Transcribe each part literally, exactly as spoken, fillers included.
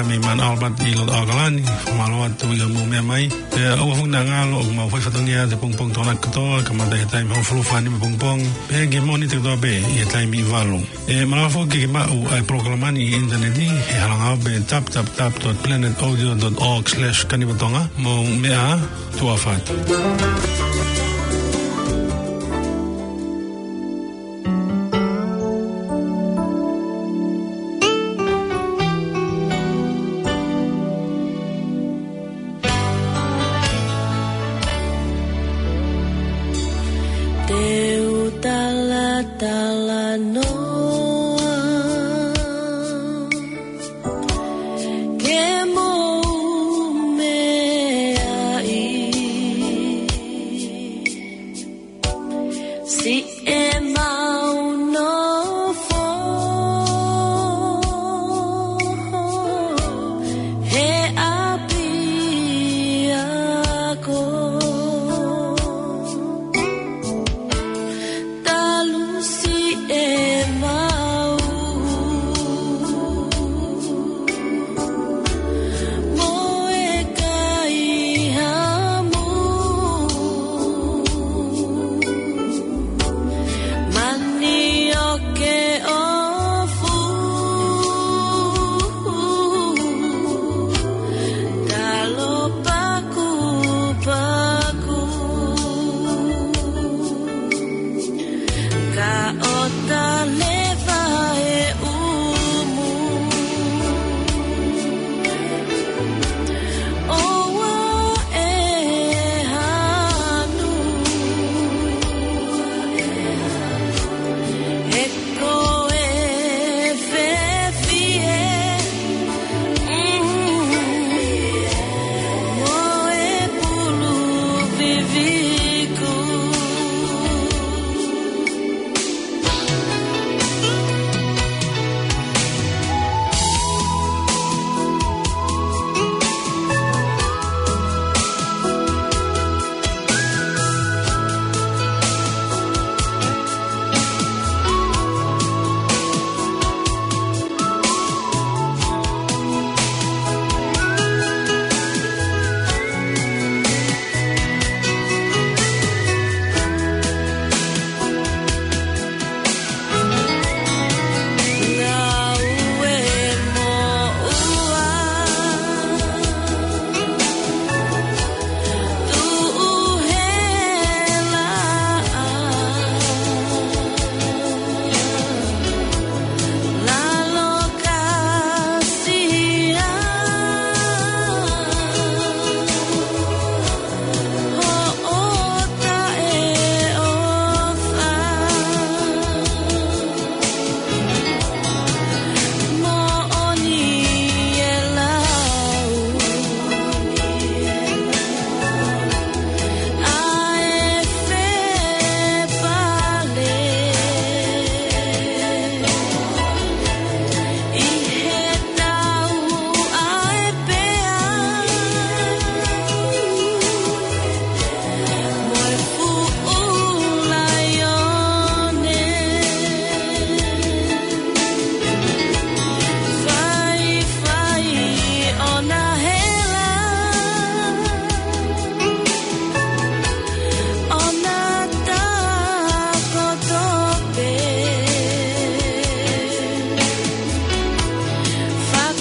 Mei Mount Albert ʻi loto ʻAokalani, mālō atu ʻi hoʻomou meʻa mai. Pea ʻoua foki naʻa ngalo ʻoku mau fai fatongia ʻa e pongipongi Tokonaki kotoa, kamata ʻi he taimi hongofulu fā nima pongipongi. Pea ki he Mōnite kotoa pē ʻi he taimi ʻe valu. ʻE malava foki ke ke maʻu ʻa e polokalama ni ʻi he ʻinitaneti, he hala ngāue pē w w w dot planet audio dot org slash kanivatonga. Mou meʻa ā, tuʻa ʻofa atu. Te u talatalanoa ke mou meaʻi siʻemau nofo he ʻapiako. Talu siʻemau mo e kaihaʻa mo e manioke ʻoku fuʻu talo pakupaku. Ka ʻoku tale vaʻe ʻumu, ʻoua ʻe hanu. He ko e fefie, mm, mo e pulu viviku.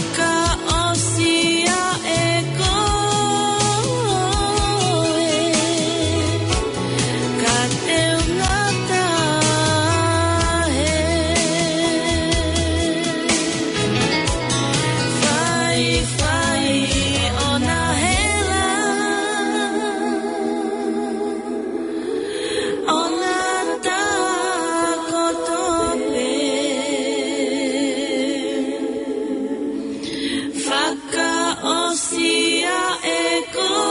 Fakaʻosi ʻa e koe, ka te u ngata he faifai ʻo na hela. ʻO na takoto pē. Fakaʻosi ʻa e koe,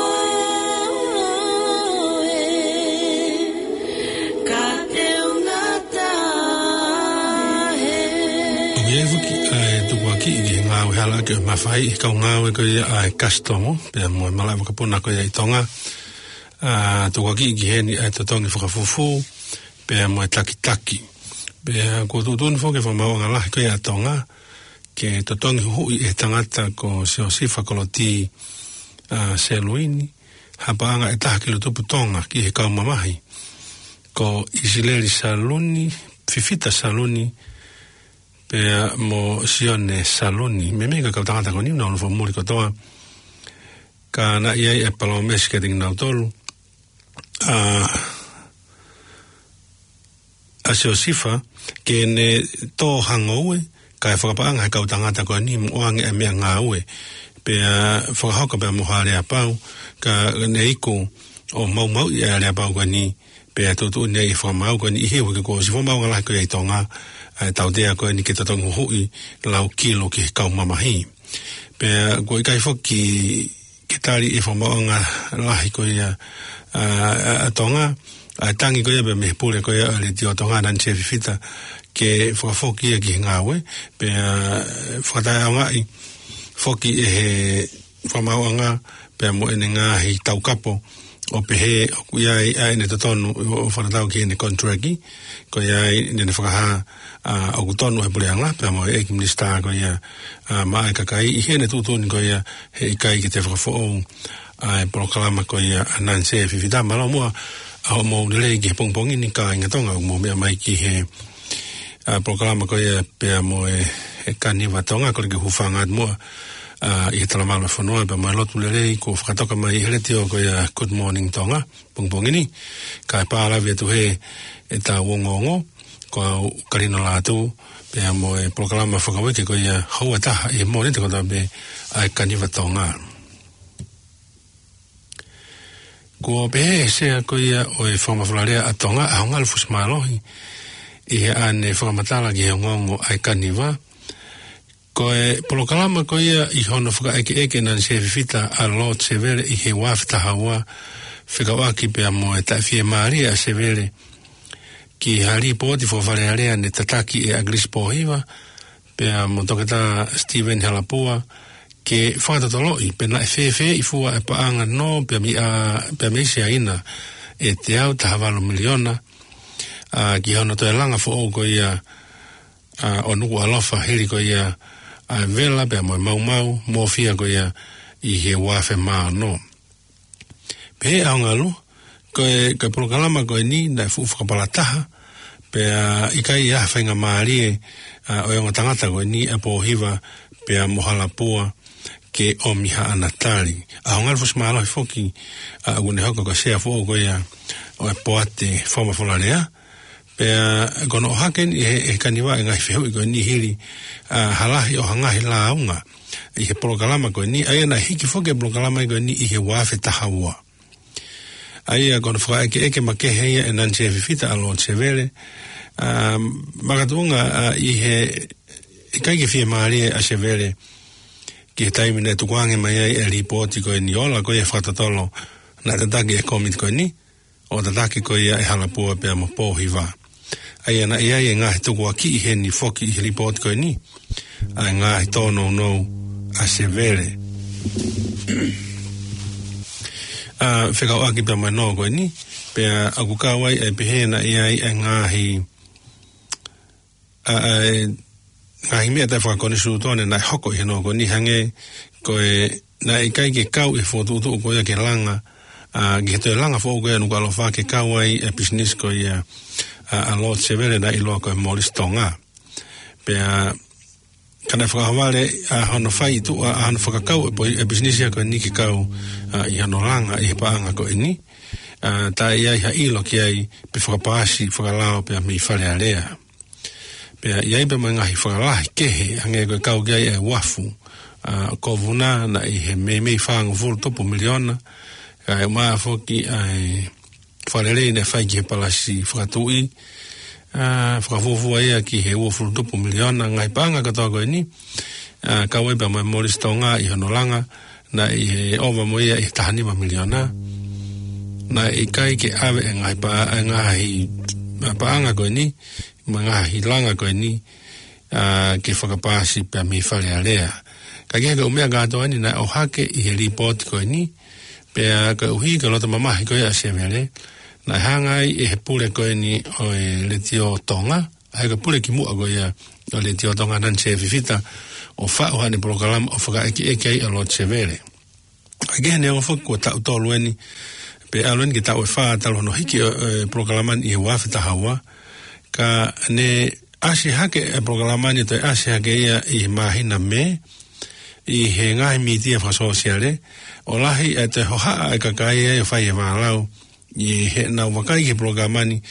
ka te u ngata he. ʻOku ʻi ai foki ʻa e tukuakiʻi ki he ngāue hala ke mafai, kau ngāue ko ia ʻa e kasitomu, pea mo e malaʻe vakapuna ko ia ʻi Tonga. ʻA, tukuakiʻi ki heni ʻa e totongi fakafufū, pea mo e takitaki. Pea ʻoku tuʻutuʻuni foki e fakamaauʻanga lahi ko ia ʻa Tonga, Ke totongi huhuʻi ʻe he tangata ko Siosifa Koloti, ʻa, Seluini ha paʻanga ʻe taha ki Lotupu Tonga ki he kau mamahi ko ʻIsileli Saluni, Fifita Saluni, pea mo Sione Saluni. Meimei ko e kau tangata ko eni naʻa nau fakamoʻoni kotoa. Ka naʻe ʻi ai e palōmesi kiate kinautolu ʻa, ʻa Siosifa ke ne tō ha ngoue kae fakapaʻanga he kau tangata ko eni mo ʻoange ʻa e meʻangāue. Pea fakahoko pea mo ha aleapau, ka ne iku ʻo maumauʻi ʻa e aleapau ko eni, pea tuʻutuʻuni ai ʻe he fakamaau ko eni ʻi he uike kuo ʻosi, fakamaauʻanga lahi ko ia ʻi Tonga, ʻa e tautea ko eni ke totongi huhuʻi lau kilo ki he kau mamahi. Pea kuo ʻikai foki ke tali ʻe he fakamaauʻanga lahi ko ia ʻa, ʻa, ʻa Tonga, ʻa e tangi ko ia pea mei he pule ko ia ʻa e Letiō Tonga, Nanise Fifita, ke fakafoki ia ki he ngāue, pea fakataʻeʻaongaʻi foki ʻe he fakamaauʻanga pea mo ʻene ngaahi taukapo, ʻo pehē ʻoku ʻi ai ʻa ʻene totonu ʻo, ʻo fakatatau ki heʻene konitileki, ko ia ai naʻa ne fakahā ʻa, ʻoku tonu ʻa e puleʻanga pea mo e ʻEiki Minisitā ko ia ʻa, maʻa e kakai, ʻi heʻene tuʻutuʻuni ko ia he ʻikai ke toe fakafoʻou ʻa e polokalama ko ia ʻa Nanise Fifita. Mālō muʻa ʻa hoʻomou lelei ki he pongipongi ni kāinga Tonga, ʻoku mou meʻa mai ki he ʻa, polokalama ko ia pea mo e, e Kaniva Tonga, kole ke u hūfanga atu muʻa ʻa, ʻi he talamalu ʻa e fonua pea mo e lotu lelei kuo fakatoka mai ʻi he letiō ko ia Good Morning Tonga pongipongi ni. Kae pālavi atu hē ʻetau ongoongo, ko au Kalino Lātū, pea mo e polokalama fakauike ko ia houa ʻe taha ʻi he Mōnite kotoa pē, ʻa e Kaniva Tonga. Kuo pehē ʻe he Sea ko ia ʻo e Fakamafola Lea ʻa Tonga, ʻa Hongalu Fusimālohi, ʻi heʻene fakamatala ki he ongoongo ʻa e Kaniva, ko e polokalama ko ia ʻi hono fakaʻekeʻeke ʻe Nanise Fifita ʻa Lord Sevele ʻi he ua afe taha ua, fekauʻaki pea mo e taʻefiemālie ʻa Sevele ki ha lipooti fakafalealea naʻe tataki ʻe ʻAkilisi Pōhiva pea mo Toketā Steven Halapua, ke fakatotoloʻi pe naʻe fēfeeʻi fua e paʻanga nō pea mei ʻa, pea mei Siaina ʻe teau taha valu miliona, ʻa, ki hono toe langa foʻou ko ia ʻa, ʻo Nukuʻalofa hili ko ia ʻa e vela pea mo e maumau mōfia ko ia ʻi he ua afe mā ono. Pehē ʻe Hongalu, ko e, ko e polokalama ko eni naʻe fuʻu fakapalataha, pea ʻikai ha faingamālie ʻa, ʻo e ongo tangata ko eni ʻa Pōhiva pea mo Halapua ke ʻomi haʻana tali. ʻA Hongalu Fusimālohi foki, ʻa, ʻoku ne hoko ko e Sea foʻou ko ia ʻo e Poate Fakamafola Lea, pea ko hono ʻohake eni ʻe he, ʻe he Kaniva e ngaahi fehuʻi ko eni hili ʻa, ha lahi ʻo ha ngaahi lāunga ʻi he polokalama ko eni, ʻa ia naʻe hiki foki e polokalama ko eni ʻi he ua afe taha ua. ʻA ia ko hono fakaʻekeʻeke makehe ia ʻe Nanise Fifita ʻa Lord Sevele, ʻa, makatuʻunga ʻa, ʻi he ʻikai ke fiemālie ʻa Sevele ki he taimi naʻe tukuange mai ai e lipooti ko eni, ola ko ia e fakatotolo naʻe tataki ʻe he kōmiti ko eni, ʻo tataki ko ia ʻe Halapua pea mo Pōhiva. ʻA ia naʻe ʻi ai e ngaahi tukuakiʻi heni foki ʻi he lipooti ko eni, ʻa e ngaahi tōnounou ʻa Sevele, ʻa, fekauʻaki pea mo e nō ko eni, pea ʻoku kau ai ʻa e pehē naʻe ʻi ai e ngaahi ʻa, ʻa e ngaahi meʻa taʻefakonisitūtone naʻe hoko ʻi he nō ko eni, hangē ko e naʻe ʻikai ke kau ʻi he fokotuʻutuʻu ko ia ke langa, ʻa, ki he toe langa foʻou ko ia ʻa Nukuʻalofa ke kau ai e pisinisi ko ia ʻa, ʻa Lord Sevele naʻe ʻiloa ko e Morris Tonga. Pea ka naʻe fakaʻohovale ʻa hono fai tuʻa, ʻa hono fakakau e poi-, e pisinisi ia ko eni ke kau, ʻa, ʻi hono langa ʻi he paʻanga ko eni, ʻa, taʻe ʻi ai ha ʻilo ki ai pe fakapaasi fakalao pea mei Fale Alea. Pea ʻi ai pea mo e ngaahi fakalahi kehe, hangē ko e kau ki ai e uafu ʻa Kovina naʻe ʻi he meimei fāngofulu tupu miliona, kae ʻumaʻā foki ʻa e fakalelei naʻe fai ki he palasi fakatuʻi, ʻa, fakafuofua ia ki he uofulu tupu miliona. Ngaahi paʻanga kotoa ko eni, ʻa, kau ai pea mo e Morris Tonga ʻi hono langa, naʻe ʻi he ʻova mo ia ʻi he taha nima miliona. Naʻe ʻikai ke ʻave e ngaahi pa-, e ngaahi paʻanga ko eni, mo e ngaahi langa ko eni, ʻa, ke fakapaasi pea mei Fale Alea. Ka ko e ʻū meʻa kātoa eni naʻe ʻohake ʻi he lipooti ko eni, pea koeʻuhi ko e loto mamahi ko ia ʻa Sevele, naʻe hanga ai ʻe he pule ko eni ʻo e Letiō Tonga, ʻa ia ko e pule kimuʻa ko ia ʻo e Letiō Tonga, Nanise Fifita, ʻo faʻu haʻane polokalama ʻo fakaʻekeʻeke ai ʻa Lord Sevele. ʻA ia neongo foki kuo taʻu tolu eni, pe ʻalu eni ki he taʻu ʻe fā talu hono hiki ʻo e polokalama ni ʻi he ua afe taha ua, ka ne ʻasi hake e polokalama ni, toe ʻasi hake ia ʻi he māhina Mē, ʻi he ngaahi mītia fakasōsiale, ʻo lahi e toe hohaʻa e kakai ia ʻo fai e vālau, ʻi heʻenau vakai ki he polokalama ni,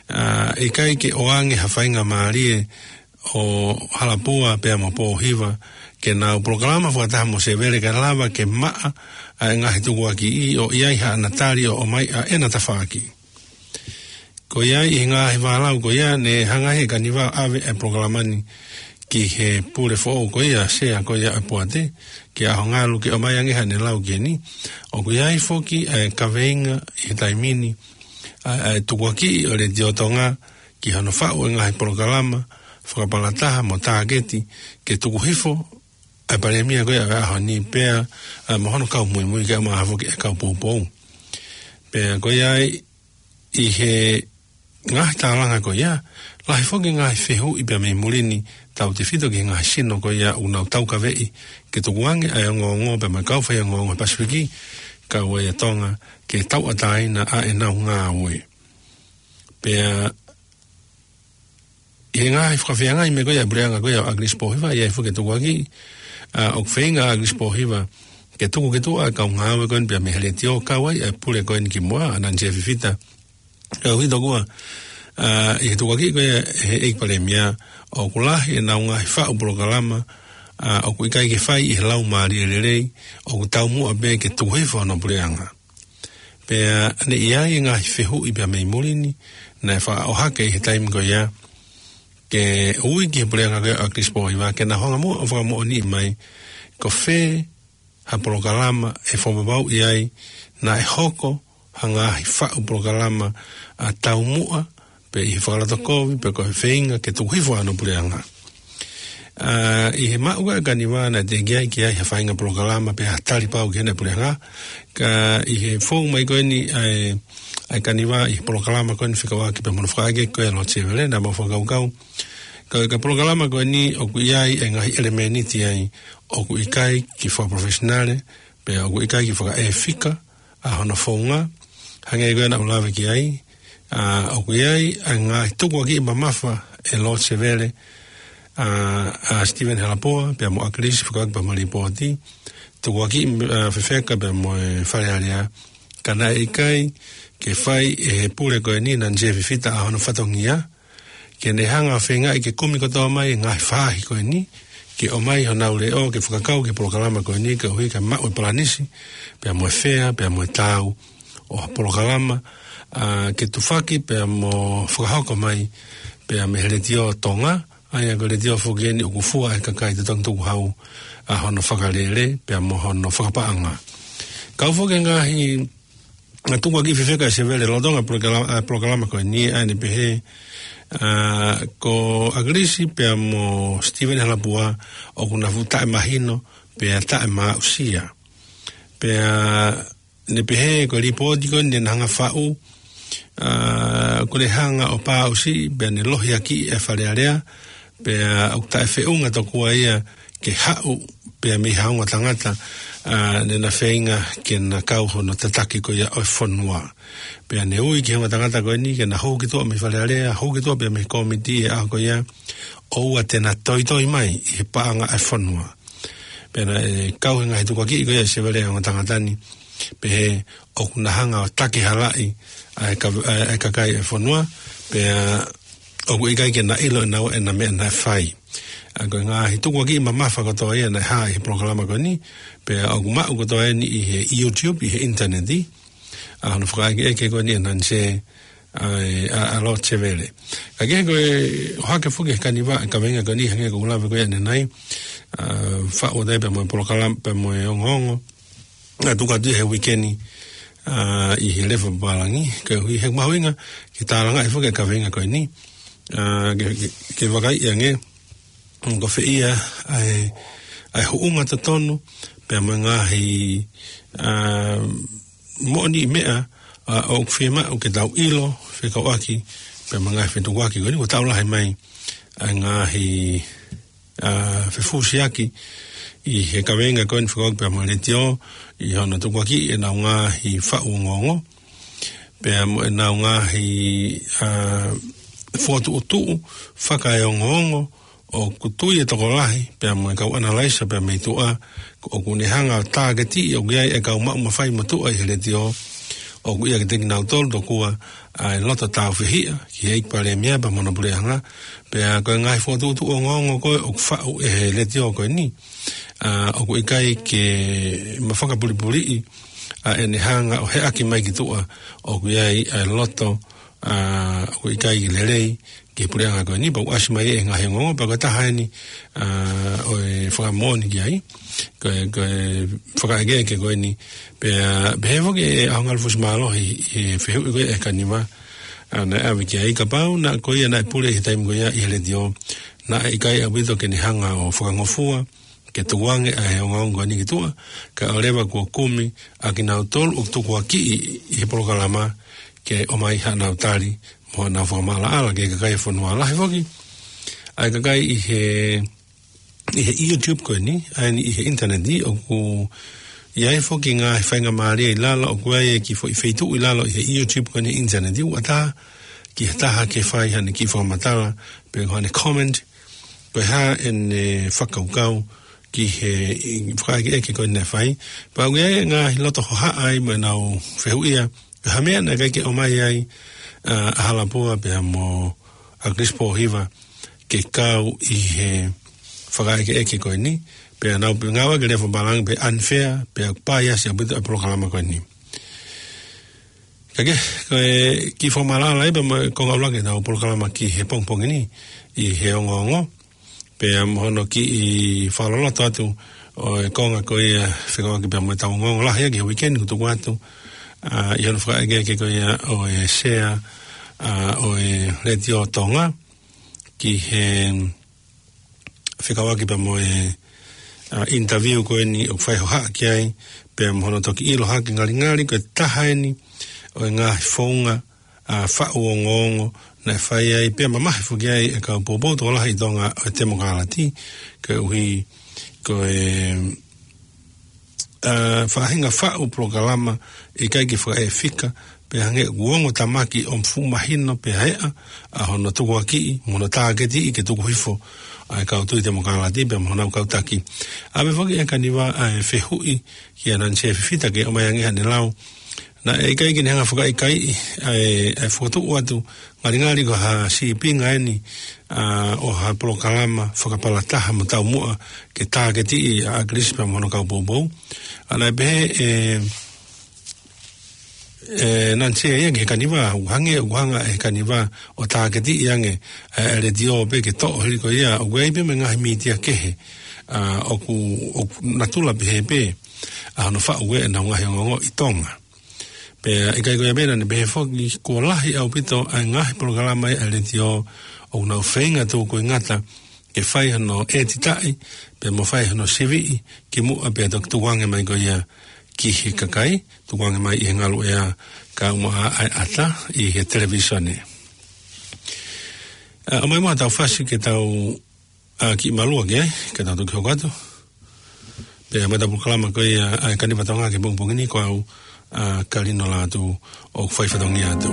ʻa, ʻikai ke ʻoange ha faingamālie ʻo Halapua pea mo Pōhiva ke nau polokalama fakataha mo Sevele kae lava ke maʻa ʻa e ngaahi tukuakiʻi ʻo ʻi ai haʻana tali ʻo ʻomai ʻa ʻena tafaʻaki. Ko ia ʻi he ngaahi vālau ko ia ne hanga ʻe he Kaniva ʻo ʻave e polokalama ni ki he pule foʻou ko ia, sea ko ia ʻa Poate, kia Hongalu ke ʻomai ange haʻane lau ki heni. ʻOku ʻi ai foki e kaveinga ʻi he taimi ni, ʻa, ʻa e tukuakiʻi ʻo Letiō Tonga ki hono faʻu e ngaahi polokalama fakapalataha mo tāketi ke tuku hifo ʻa e Palēmia ko ia ʻo e ʻaho ni pea, ʻa, mo hono kau muimui kae ʻumaʻā foki e kau poupou. Pea ko ia ʻi he ngaahi tālanga ko ia, lahi foki e ngaahi fehuʻi pea mei muli ni, tautefito ki he ngaahi sino ko ia ʻoku nau taukaveʻi ke tukuange ʻa e ongoongo pea mo e kau faiongoongo Pasifiki, kau ai ʻa Tonga, ke tauʻatāina ʻa ʻenau ngāue. Pea ʻi he ngaahi fakafeangai mo e ko ia e puleʻanga ko ia ʻo ʻAkilisi Pōhiva, ʻi ai foki e tukuakiʻi, ʻa, ʻoku feinga ʻa ʻAkilisi Pōhiva ke tuku ki tuʻa e kau ngāue ko eni pea mei he Letiō, kau ai e pule ko eni kimuʻa, ʻa Nanise Fifita. Ka ʻoku ʻi ai tokua, ʻa, ʻi he tukuakiʻi ko ia ʻe he ʻEiki Palēmia, ʻoku lahi ʻenau ngaahi faʻu polokalama, ʻa, ʻoku ʻikai ke fai ʻi he laumālie lelei, ʻoku taumuʻa pē ke tuku hifo hono puleʻanga. Pea ne ʻi ai e ngaahi fehuʻi pea mei muli ni, naʻe faʻa ʻohake ʻi he taimi ko ia, ke ui ki he puleʻanga ko ia ʻo ʻAkilisi Pōhiva ke na hanga muʻa ʻo fakamoʻoniʻi mai, ko fē ha polokalama ʻe fakapapauʻi ai naʻe hoko ha ngaahi faʻu polokalama ʻa taumuʻa, pe ʻi he fakalotokovi, pe ko e feinga ke tuku hifo hono puleʻanga. ʻA, ʻi he maʻu ko ē ʻa e Kaniva naʻe teʻeki ai ke ʻi ai ha faʻahinga polokalama pe ha tali pau ki heʻene puleʻanga, ka ʻi he fou mai ko eni ʻa e, ʻa e Kaniva ʻi he polokalama ko eni fekauʻaki pea mo hono fakaʻekeʻeke ko ia ʻa Lord Sevele, naʻa mau fakakaukau, ka, ka polokalama ko eni ʻoku ʻi ai e ngaahi ʻelemēniti ai ʻoku ʻikai ke fakaprofessional, pea ʻoku ʻikai ke fakaʻefika ʻa hono founga, hangē ko ia naʻa ku lave ki ai, ʻa, ʻoku ʻi ai ʻa e ngaahi tukuakiʻi mamafa ʻe Lord Sevele, ʻa, ʻa Stephen Halapua pea mo ʻAkilisi fekauʻaki pea mo e lipooti, tukuakiʻi, ʻa, fefeka pea mo e Fale Alea, ka naʻe ʻikai ke fai ʻe he pule ko eni Nanise Fifita ʻa hono fatongia, ke ne hanga ʻo feingaʻi ke kumi kotoa mai e ngaahi faʻahi ko eni, ke ʻomai honau leʻo ke fakakau ki he polokalama ko eni, koeʻuhi ke maʻu e palanisi, pea mo e fea, pea mo e taau ʻo ha polokalama, ʻa, ke tufaki pea mo fakahoko mai pea mei he Letiō Tonga, ʻa ia ko e letiō foki eni ʻoku fua ʻe he kakai totongi tukuhau ʻa hono fakalele pea mo hono fakapaʻanga. Kau foki e ngaahi, ngaahi tukuakiʻi fefeka ʻe Sevele lolotonga e polokalama, ʻa, polokalama ko eni, ʻa ia ne pehē, ʻa, ko ʻAkilisi pea mo Stephen Halapua ʻoku na fuʻu taʻemahino pea taʻemāʻusia. Pea ne pehē ko e lipooti ko eni ne na hanga ʻo faʻu, ʻa, ʻoku ne hanga ʻo pāʻusiʻi pea ne lohiakiʻi e Fale Alea, pea ʻoku taʻefeʻunga tokua ia ke haʻu pea mei ha ongo tangata, ʻa, ne na feinga ke na kau hono tataki ko ia ʻo e fonua. Pea ne ui ki he ongo tangata ko eni ke na hū ki tuʻa mei Fale Alea, hū ki tuʻa pea mei he kōmiti he ʻaho ko ia, ʻoua te na toitoi mai ʻi he paʻanga ʻa e fonua. Pea naʻe kau he ngaahi tukuakiʻi ko ia ʻe Sevele ʻa e ongo tangata ni, pehē ʻoku na hanga ʻo takihalaʻi ʻa e ka-, ʻa e, ʻa e kakai ʻo e fonua, pea ʻoku ʻikai ke na ʻilo ʻe naua ʻena meʻa naʻe fai. ʻA, ko e ngaahi tukuakiʻi mamafa kotoa ia naʻe hā ʻi he polokalama ko eni, pea ʻoku maʻu kotoa eni ʻi he YouTube, ʻi he ʻinitaneti, ʻa hono fakaʻekeʻeke ko eni ʻa Nanise, ʻa, ʻa, ʻa Lord Sevele. Ka kehe ko e ʻohake foki ʻe he Kaniva e kaveinga ko eni hangē ko ʻeku lave ko ia ʻanenai, ʻa, faʻu atu ai pea mo e polokalama, pea mo e ongoongo, ʻa, tuku atu he uike ni, ʻa, ʻi he level pālangi, koeʻuhi he mahuʻinga ke tālangaʻi foki e kaveinga ko eni, ʻa, ke, ke, ke vakaiʻi ange, ko fē ia ʻa e, ʻa e huʻunga totonu, pea mo e ngaahi, ʻa, moʻoniʻi meʻa, ʻa, ʻoku fiemaʻu ke tau ʻilo, fekauʻaki pea mo e ngaahi fetukuaki ko eni, kuo tau lahi mai ʻa e ngaahi ʻa, fefusiaki ʻi he kaveinga ko eni fekauʻaki pea mo e letiō, ʻi hono tukuakiʻi ʻenau ngaahi faʻu ongoongo, pea mo ʻenau ngaahi, ʻa, fokotuʻutuʻu fakaeongoongo, ʻoku tui e tokolahi, pea mo e kau ʻanalaiso, pea mei tuʻa, ʻoku ne hanga ʻo tāketiʻi, ʻoku ʻi ai e kau maʻu mafai motuʻa ʻi he letiō, ʻoku ʻiate kinautolu tokua ʻa e loto tāufehiʻa ki he ʻEiki Palēmia pea mo hono puleʻanga, pea ko e ngaahi fokotuʻutuʻu ongoongo ko ē ʻoku faʻu ʻe he letiō ko eni, ʻa, ʻoku ʻikai ke ma fakapulipuliʻi ʻa ʻene hanga ʻo heʻaki mai ki tuʻa ʻoku ʻi ai ʻa e loto, ʻa, ʻoku ʻikai ke lelei ki he puleʻanga ko eni, pea ʻoku ʻasi mai e ngaahi ongoongo, pea ko e taha eni, ʻa, ʻo e fakamoʻoni ki ai, ko e, ko e fakaʻekeʻeke ko eni, pea, pea pehē foki ʻe ʻAhongalu Fusimālohi ʻi he fehuʻi ko ē ʻa Kaniva, ʻa, naʻe ʻave ki ai, kapau naʻe ko ia naʻe pule ʻi he taimi ko ia ʻi he letiō, naʻe ʻikai ʻaupito ke ne hanga ʻo fakangofua, ke tukuange ʻa e ongoongo ko eni ki tuʻa, kae ʻoua leva kuo kumi ʻa kinautolu ʻoku tukuakiʻi ʻi he polokalama ke ʻomai haʻanau tali mo haʻanau fakamaʻalaʻala ki he kakai e fonua. Lahi foki ʻa e kakai ʻi he, ʻi he YouTube ko eni, ʻa eni ʻi he ʻinitaneti, ʻoku ʻi ai foki ngaahi faingamālie ʻi lalo, ʻoku ʻi ai e kiʻi foʻi feituʻu ʻi lalo ʻi he YouTube ko eni ʻinitaneti, ʻoku ʻatā ki ha taha ke fai haʻane kiʻi fakamatala, pe ko haʻane comment, ko e hā ʻene fakakaukau ki he fakaʻekeʻeke ko eni naʻe fai. Pea ʻoku ʻi ai e ngaahi loto hohaʻa ai mo ʻenau fehuʻia, ko e hā e meʻa naʻe ʻikai ke ʻomai ai, ʻa, ʻa Halapua pea mo ʻAkilisi Pōhiva ke kau ʻi he fakaʻekeʻeke ko eni, pea nau pē ngāue ke lea fakapālangi pe unfair, pea paiasi ʻaupito e polokalama ko eni. Ka ke, ko e kiʻi fakamaʻalaʻala ia pea mo e konga ʻuluaki ʻetau polokalama ki he pongipongi ni ʻi he ongoongo. Pea mo hono kiʻi fakaloloto atu ʻo e konga ko ia fekauʻaki pea mo ʻetau ongoongo lahi ia ki he weekend kuo tuku atu, ʻa, ʻi hono fakaʻekeʻeke ko ia ʻo e sea, ʻa, ʻo e Letiō Tonga ki he fekauʻaki pea mo e, ʻa, interview ko eni ʻoku fai hohaʻa ki ai, pea mo hono toki ʻilo hake ngalingali ko e taha eni ʻo e ngaahi founga, ʻa, faʻu ongoongo naʻe fai ai, pea mamahi foki ai e kau poupou tokolahi ʻi Tonga ʻo e Temokālati, koeʻuhi ko e, ʻa, faʻahinga faʻu polokalama ʻikai ke fakaefika, pea hangē ʻoku ongo tamaki ʻo fuʻu mahino pea eʻa ʻa hono tukuakiʻi mo hono tāketiʻi ke tuku hifo ʻa e kau tui Temokālati pea mo honau kau taki. ʻAve foki ʻe Kaniva ʻa e fehuʻi kia Nancy Fifita ke ʻomai ange haʻane lau. Naʻe ʻikai ke ne hanga fakaʻikaiʻi ʻa e, ʻa e fokotuʻu atu ngalingali ko ha sīpinga eni, ʻa, ʻo ha polokalama fakapalataha mo taumuʻa ke tāketiʻi ʻa ʻAkilisi pea mo hono kau poupou. ʻA, naʻe pehē ʻe, ʻe Nancy ia ki he Kaniva, ʻoku hangē, ʻoku hanga ʻe he Kaniva ʻo tāketiʻi ange ʻa e, ʻa e letiō pē ke toʻo hili ko ia, ʻoku ʻi ai pē mo e ngaahi mītia kehe, ʻa, ʻoku, ʻoku natula pehē pē ʻa hono faʻu ʻenau ngaahi ongoongo ʻi Tonga. Pea ʻikai ko ia pē, naʻa ne pehē foki kuo lahi ʻaupito ʻa e ngaahi polokalama ʻa e letiō ʻoku nau feinga tukuingata ke fai hono ʻētitaʻi, pea mo fai hono siviʻi kimuʻa pea toki tukuange mai ko ia ki he kakai, tukuange mai ʻi he ngaluʻea kae ʻumaʻā ʻa e ʻata ʻi he televīsone. ʻA, ʻomai muʻa haʻatau fasi ke tau, ʻa, kiʻi malua ki ai, ke tau toki hoko atu. Pea mo ʻetau polokalama ko ia ʻa e Kaniva Tonga ki he pongipongi ni, ko au, ʻa, Kalino Lātū, ʻoku fai fatongia atu.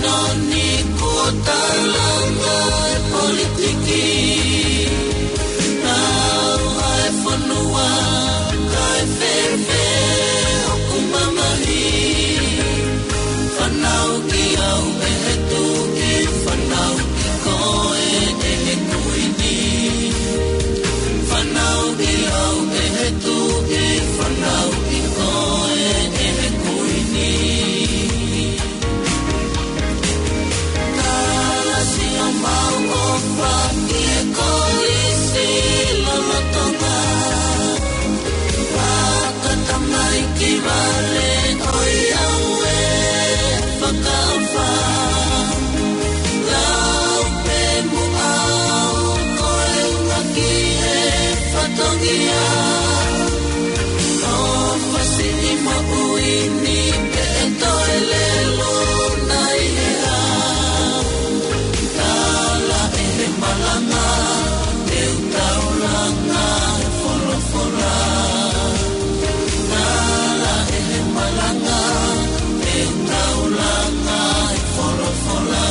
Toni kuo talanga e politiki, nau ʻa e fonua kae fēfē hoku mamahi. Fanauʻi au ʻe he Tuʻi, fanauʻi koe ʻe he Kuini. Fanauʻi au ʻe he Tuʻi, fanauʻi koe ʻe he Kuini. Kalasi ʻo mau ʻofa ki he Kolisi lolotonga. Fakatamaiki vale ʻo e ʻauē fakaʻofa. Lau pē muʻa au ko e ʻuhinga ki he fatongia. ʻOfa siʻi moʻui ni pē ʻe toe lelu nai he ʻā. Tala ʻe he malanga, te u taulanga he folofola. Tala ʻe he malanga, te u taulanga he folofola.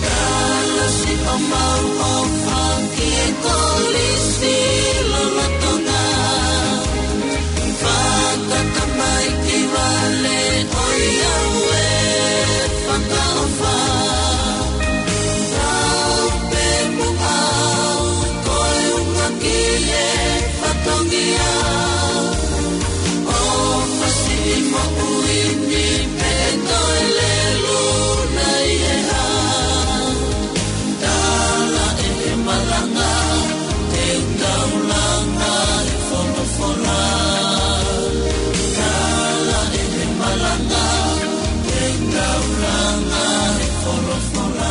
Kalasi ʻo mau ʻofa ki he Kolisi lolotonga. Fakatamaiki vale ʻo e ʻauē fakaʻofa. Lau pē muʻa au ko e ʻuhinga ki he fatongia. ʻOfa siʻi moʻui ni pē ʻe toe lelu nai he ʻā. Tala ʻe he malanga, te u taulanga he folofola. Tala ʻe he malanga, te u taulanga he folofola.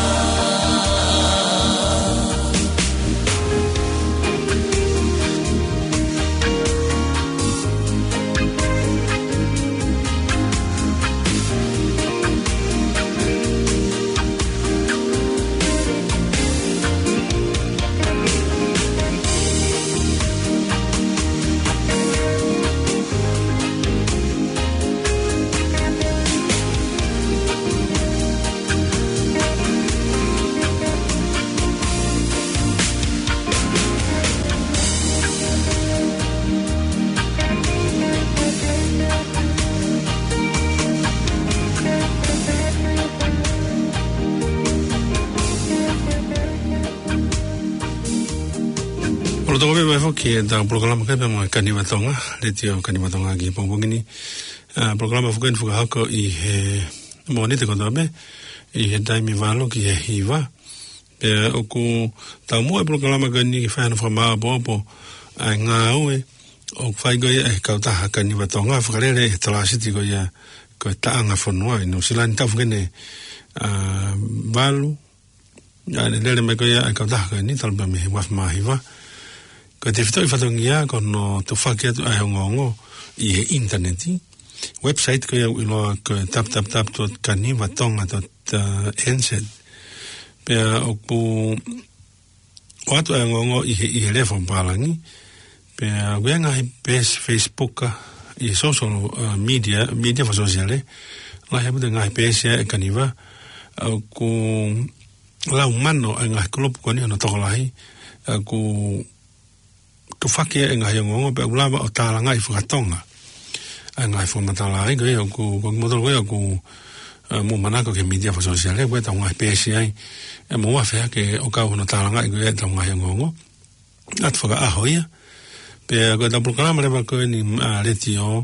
ʻOku tau kau mai foki ʻetau polokalama kai pē mo e Kaniva Tonga, Letiō Kaniva Tonga ki he pongipongi ni. ʻA, polokalama foki ni fakahoko ʻi he Mōnite kotoa pē, ʻi he taimi valu ki he hiva. Pea ʻoku tau muʻa e polokalama ko eni ke fai hano fakamāʻopoʻopo ʻa e ngāue ʻoku fai ko ia ʻe he kautaha Kaniva Tonga, fakalele ʻe he Talāsiti ko ia ko e Taʻanga Fonua ʻi Nuʻusila ni, taʻu foki eni, ʻa, valu. ʻA, lele mai ko ia ʻa e kautaha ko eni talu pē mei he uaafe mā hiva. Ko e tefitoʻi fatongia ko hono tufaki atu ʻa e ongoongo ʻi he ʻinitaneti. Website ko ia ʻoku ʻiloa ko e www dot kanivatonga dot nz. Pea ʻoku ʻoatu ʻa e ongoongo ʻi he, ʻi he lea fakapālangi. Pea ʻoku ʻi ai e ngaahi peesi Facebook, ʻi he social, uh, media, media fakasōsiale. Lahi ʻaupito e ngaahi peesi ʻa e Kaniva. ʻOku lau mano ʻa e ngaahi kulupu ko eni hono tokolahi. ʻOku tufaki ʻa e ngaahi ongoongo pea ʻoku lava ʻo tālangaʻi fakatonga ʻa e ngaahi fakamatala ai ko ia ʻoku, ko kimoutolu ko ia ʻoku, ʻa, mou manako ki he media fakasōsiale, ko ʻetau ngaahi peesi ai. ʻE mou afe hake ʻo kau hono tālangaʻi ko ia ʻetau ngaahi ongoongo. ʻAtu fakaʻaho ia. Pea ko ʻetau polokalama leva ko eni, ʻa, Letiō,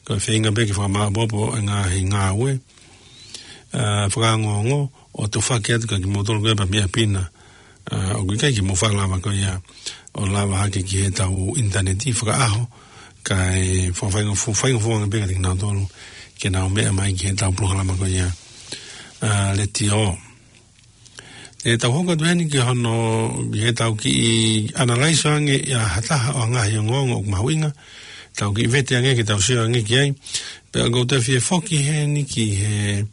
ko e feinga pē ke fakamāʻopoʻopo e ngaahi ngāue, ʻa, fakaongoongo, ʻo tufaki atu kia kimoutolu ko ia pē mei ʻapi na. ʻA, ʻoku ʻikai ke mou faʻa lava ko ia ʻo lava hake ki heʻetau ʻinitaneti fakaʻaho, kae fakafaingo-, fakafaingofuaʻanga pē kiate kinautolu ke nau meʻa mai ki heʻetau polokalama ko ia, ʻa, Letiō. ʻE tau hoko atu heni ki hono, ki heʻetau kiʻi analyze ange ʻa ha taha ʻo e ngaahi ongoongo ʻoku mahuʻinga, tau kiʻi vete ange ke tau sio ange ki ai. Pea ʻoku ou toe fie foki heni ki he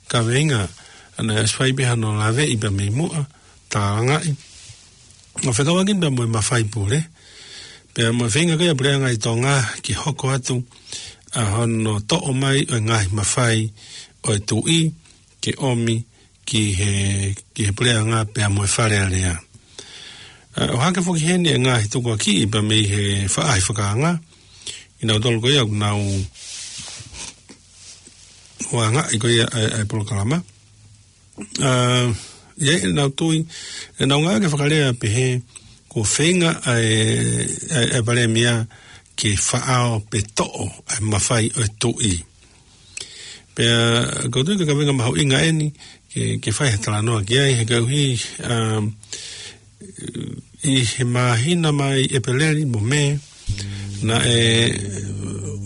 kaveinga, ʻa ia ʻoku fai pē hano laveʻi pē mei muʻa, tālangaʻi. ʻO fekauʻaki pē mo e mafai pule. Pea mo e feinga ko ia ʻa e Puleʻanga ʻi Tonga ke hoko atu ʻa hono toʻo mai ʻo e ngaahi mafai ʻo e tuʻi ke ʻomi ki he, ki he puleʻanga pea mo e Fale Alea. ʻA, ʻo hake foki heni e ngaahi tukuakiʻi pea mei he faʻahi fakaanga, ʻi nautolu ko ia ʻoku nau ʻoange ʻi ko ia ʻa e, ʻa e polokalama. ʻA, ʻi ai ʻenau tui, ʻenau ngāue ke fakalea pehē, kuo feinga ʻa e, ʻa e, ʻa e Palēmia ke faʻao pe toʻo ʻa e mafai ʻo e tuʻi. Pea, ʻoku ou tui ko e kaveinga mahuʻinga eni, ke, ke fai ha talanoa ki ai, he koeʻuhi, ʻa, ʻi he māhina mai ʻEpeleli mo Mē, naʻe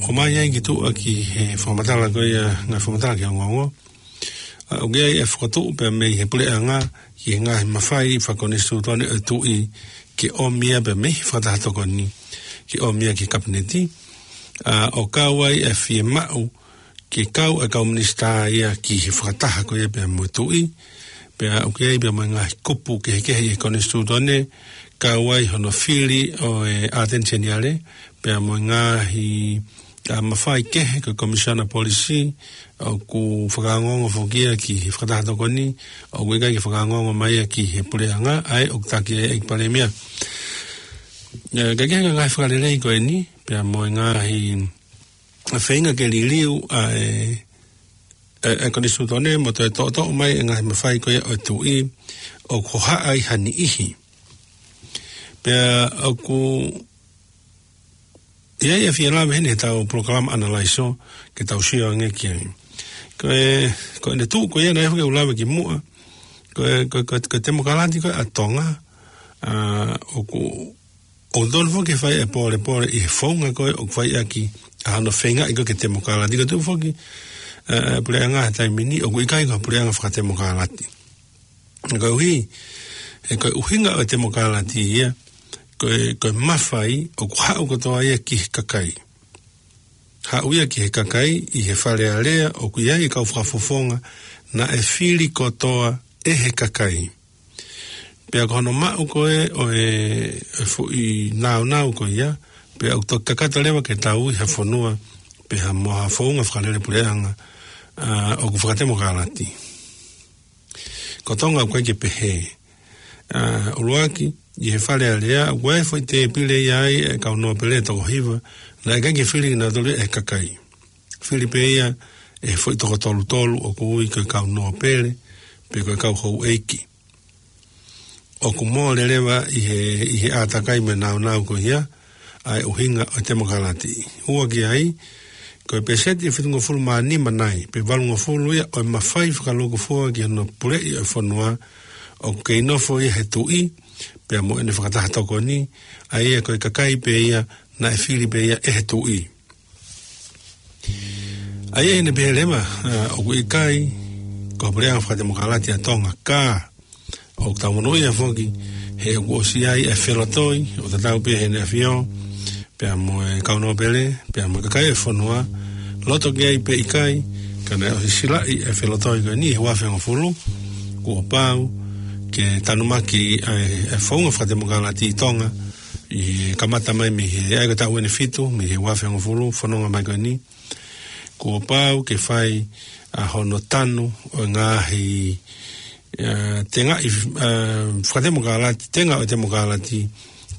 ʻomai ai ki tuʻa ki he fakamatala ko ia, ngaahi fakamatala ki he ongoongo. ʻA, ʻoku ʻi ai e fokotuʻu pea mei he puleʻanga ki he ngaahi mafai fakakonisitūtone ʻo e tuʻi ke ʻomi ia pea mei he fakataha tokoni ke ʻomi ia ki he Kapineti. ʻA, ʻo kau ai e fiemaʻu ke kau e kau minisitā ia ki he fakataha ko ia pea mo e tuʻi, pea ʻoku ʻi ai pea mo e ngaahi kupu kehekehe ʻi he konisitūtone, kau ai hono fili ʻo e ʻAteni Seniale, pea mo e ngaahi, ʻa, mafai kehe ko e Komisiona Polisi, ʻoku fakaongoongo foki ia ki he fakataha tokoni, ʻoku ʻikai ke fakaongoongo mai ia ki he puleʻanga, ʻa ē ʻoku taki ai e Palēmia. ʻE, ka ko e ngaahi fakalelei ko eni, pea mo e ngaahi feinga ke liliu ʻa e, e, e konisitūtone mo toe toʻotoʻo mai e ngaahi mafai ko ia ʻo e tuʻi ʻoku hohaʻa ai ha niʻihi. Pea ʻoku ʻi ai e fie lave heni he tau polokalama ʻanalaiso ke tau sio ange ki ai. Ko e, ko ʻene tuʻu ko ia naʻe hake ʻo lave ki muʻa. Ko e, ko e, ko e, ko e temokalati ko ē ʻa Tonga, ʻa, ʻoku ʻoku tonu foki ke fai e pōlepole ʻi he founga ko ē ʻoku fai ʻaki ʻa hono feingaʻi ko ē ke temokalati. Ko e tuʻu foki, ʻa, ʻa e puleʻanga he taimi ni, ʻoku ʻikai ko ha puleʻanga fakatemokalati. Koeʻuhi, he ko e ʻuhinga ʻo e temokalati ia, ko e, ko e mafai ʻoku haʻu kotoa ia ki he kakai. Haʻu ia ki he kakai ʻi he Fale Alea ʻoku ʻi ai e kau fakafofonga naʻe fili kotoa ʻe he kakai. Pea ko hono maʻu ko ē ʻo e, e foʻi nāunau ko ia, pea ʻoku toki kakato leva ke tau ui ha fonua, pe ha mo ha founga fakalele puleʻanga, ʻa, ʻoku fakatemokalati. Ko Tonga ʻoku ʻikai ke pehē. ʻA, ʻuluaki, ʻi he Fale Alea, ʻoku ʻi ai e foʻi tēpile ia ai e kau nōpele ʻe toko hiva, naʻe ʻikai ke fili kinautolu ia ʻe he kakai. Fili pē ia ʻe he foʻi toko tolutolu ʻoku ui ko e kau nōpele, pe ko e kau houʻeiki. ʻOku mole leva ʻi he, ʻi he ʻātakai mo e nāunau ko ia, ʻa e ʻuhinga ʻo e temokalati. Ua ki ai, ko e pēseti ʻe fitungofulu mā nima nai, pe valungofulu ia ʻo e mafai fakalūkufua ki hono puleʻi ʻo e fonua, ʻoku kei nofo ia he tuʻi, pea mo ʻene fakataha tokoni, ʻa ia ko e kakai pē ia, naʻe fili pē ia ʻe he tuʻi. ʻA ia ʻi heʻene pehē leva, ʻa, ʻoku ʻikai ko ha puleʻanga fakatemokalati ʻa Tonga, ka ʻoku tau monūʻia foki, he ʻoku ʻosi ʻi ai e felotoi, ʻo tatau pē ʻEne ʻAfio, pea mo e kau nōpele, pea mo e kakai e fonua, loto ki ai pe ʻikai, ka naʻe ʻosi silaʻi e felotoi ko eni he ua afe hongofulu, kuo pau ke tanumaki e, e founga fakatemokalati ʻi Tonga, ʻi he kamata mai mei he, ʻa ia ko e taʻu ʻeni fitu, mei he ua afe hongofulu, fononga mai ko eni. Kuo pau ke fai ʻa hono tanu ʻo e ngaahi, ʻa, tengaʻi, ʻa, fakatemokalati, tenga ʻo e temokalati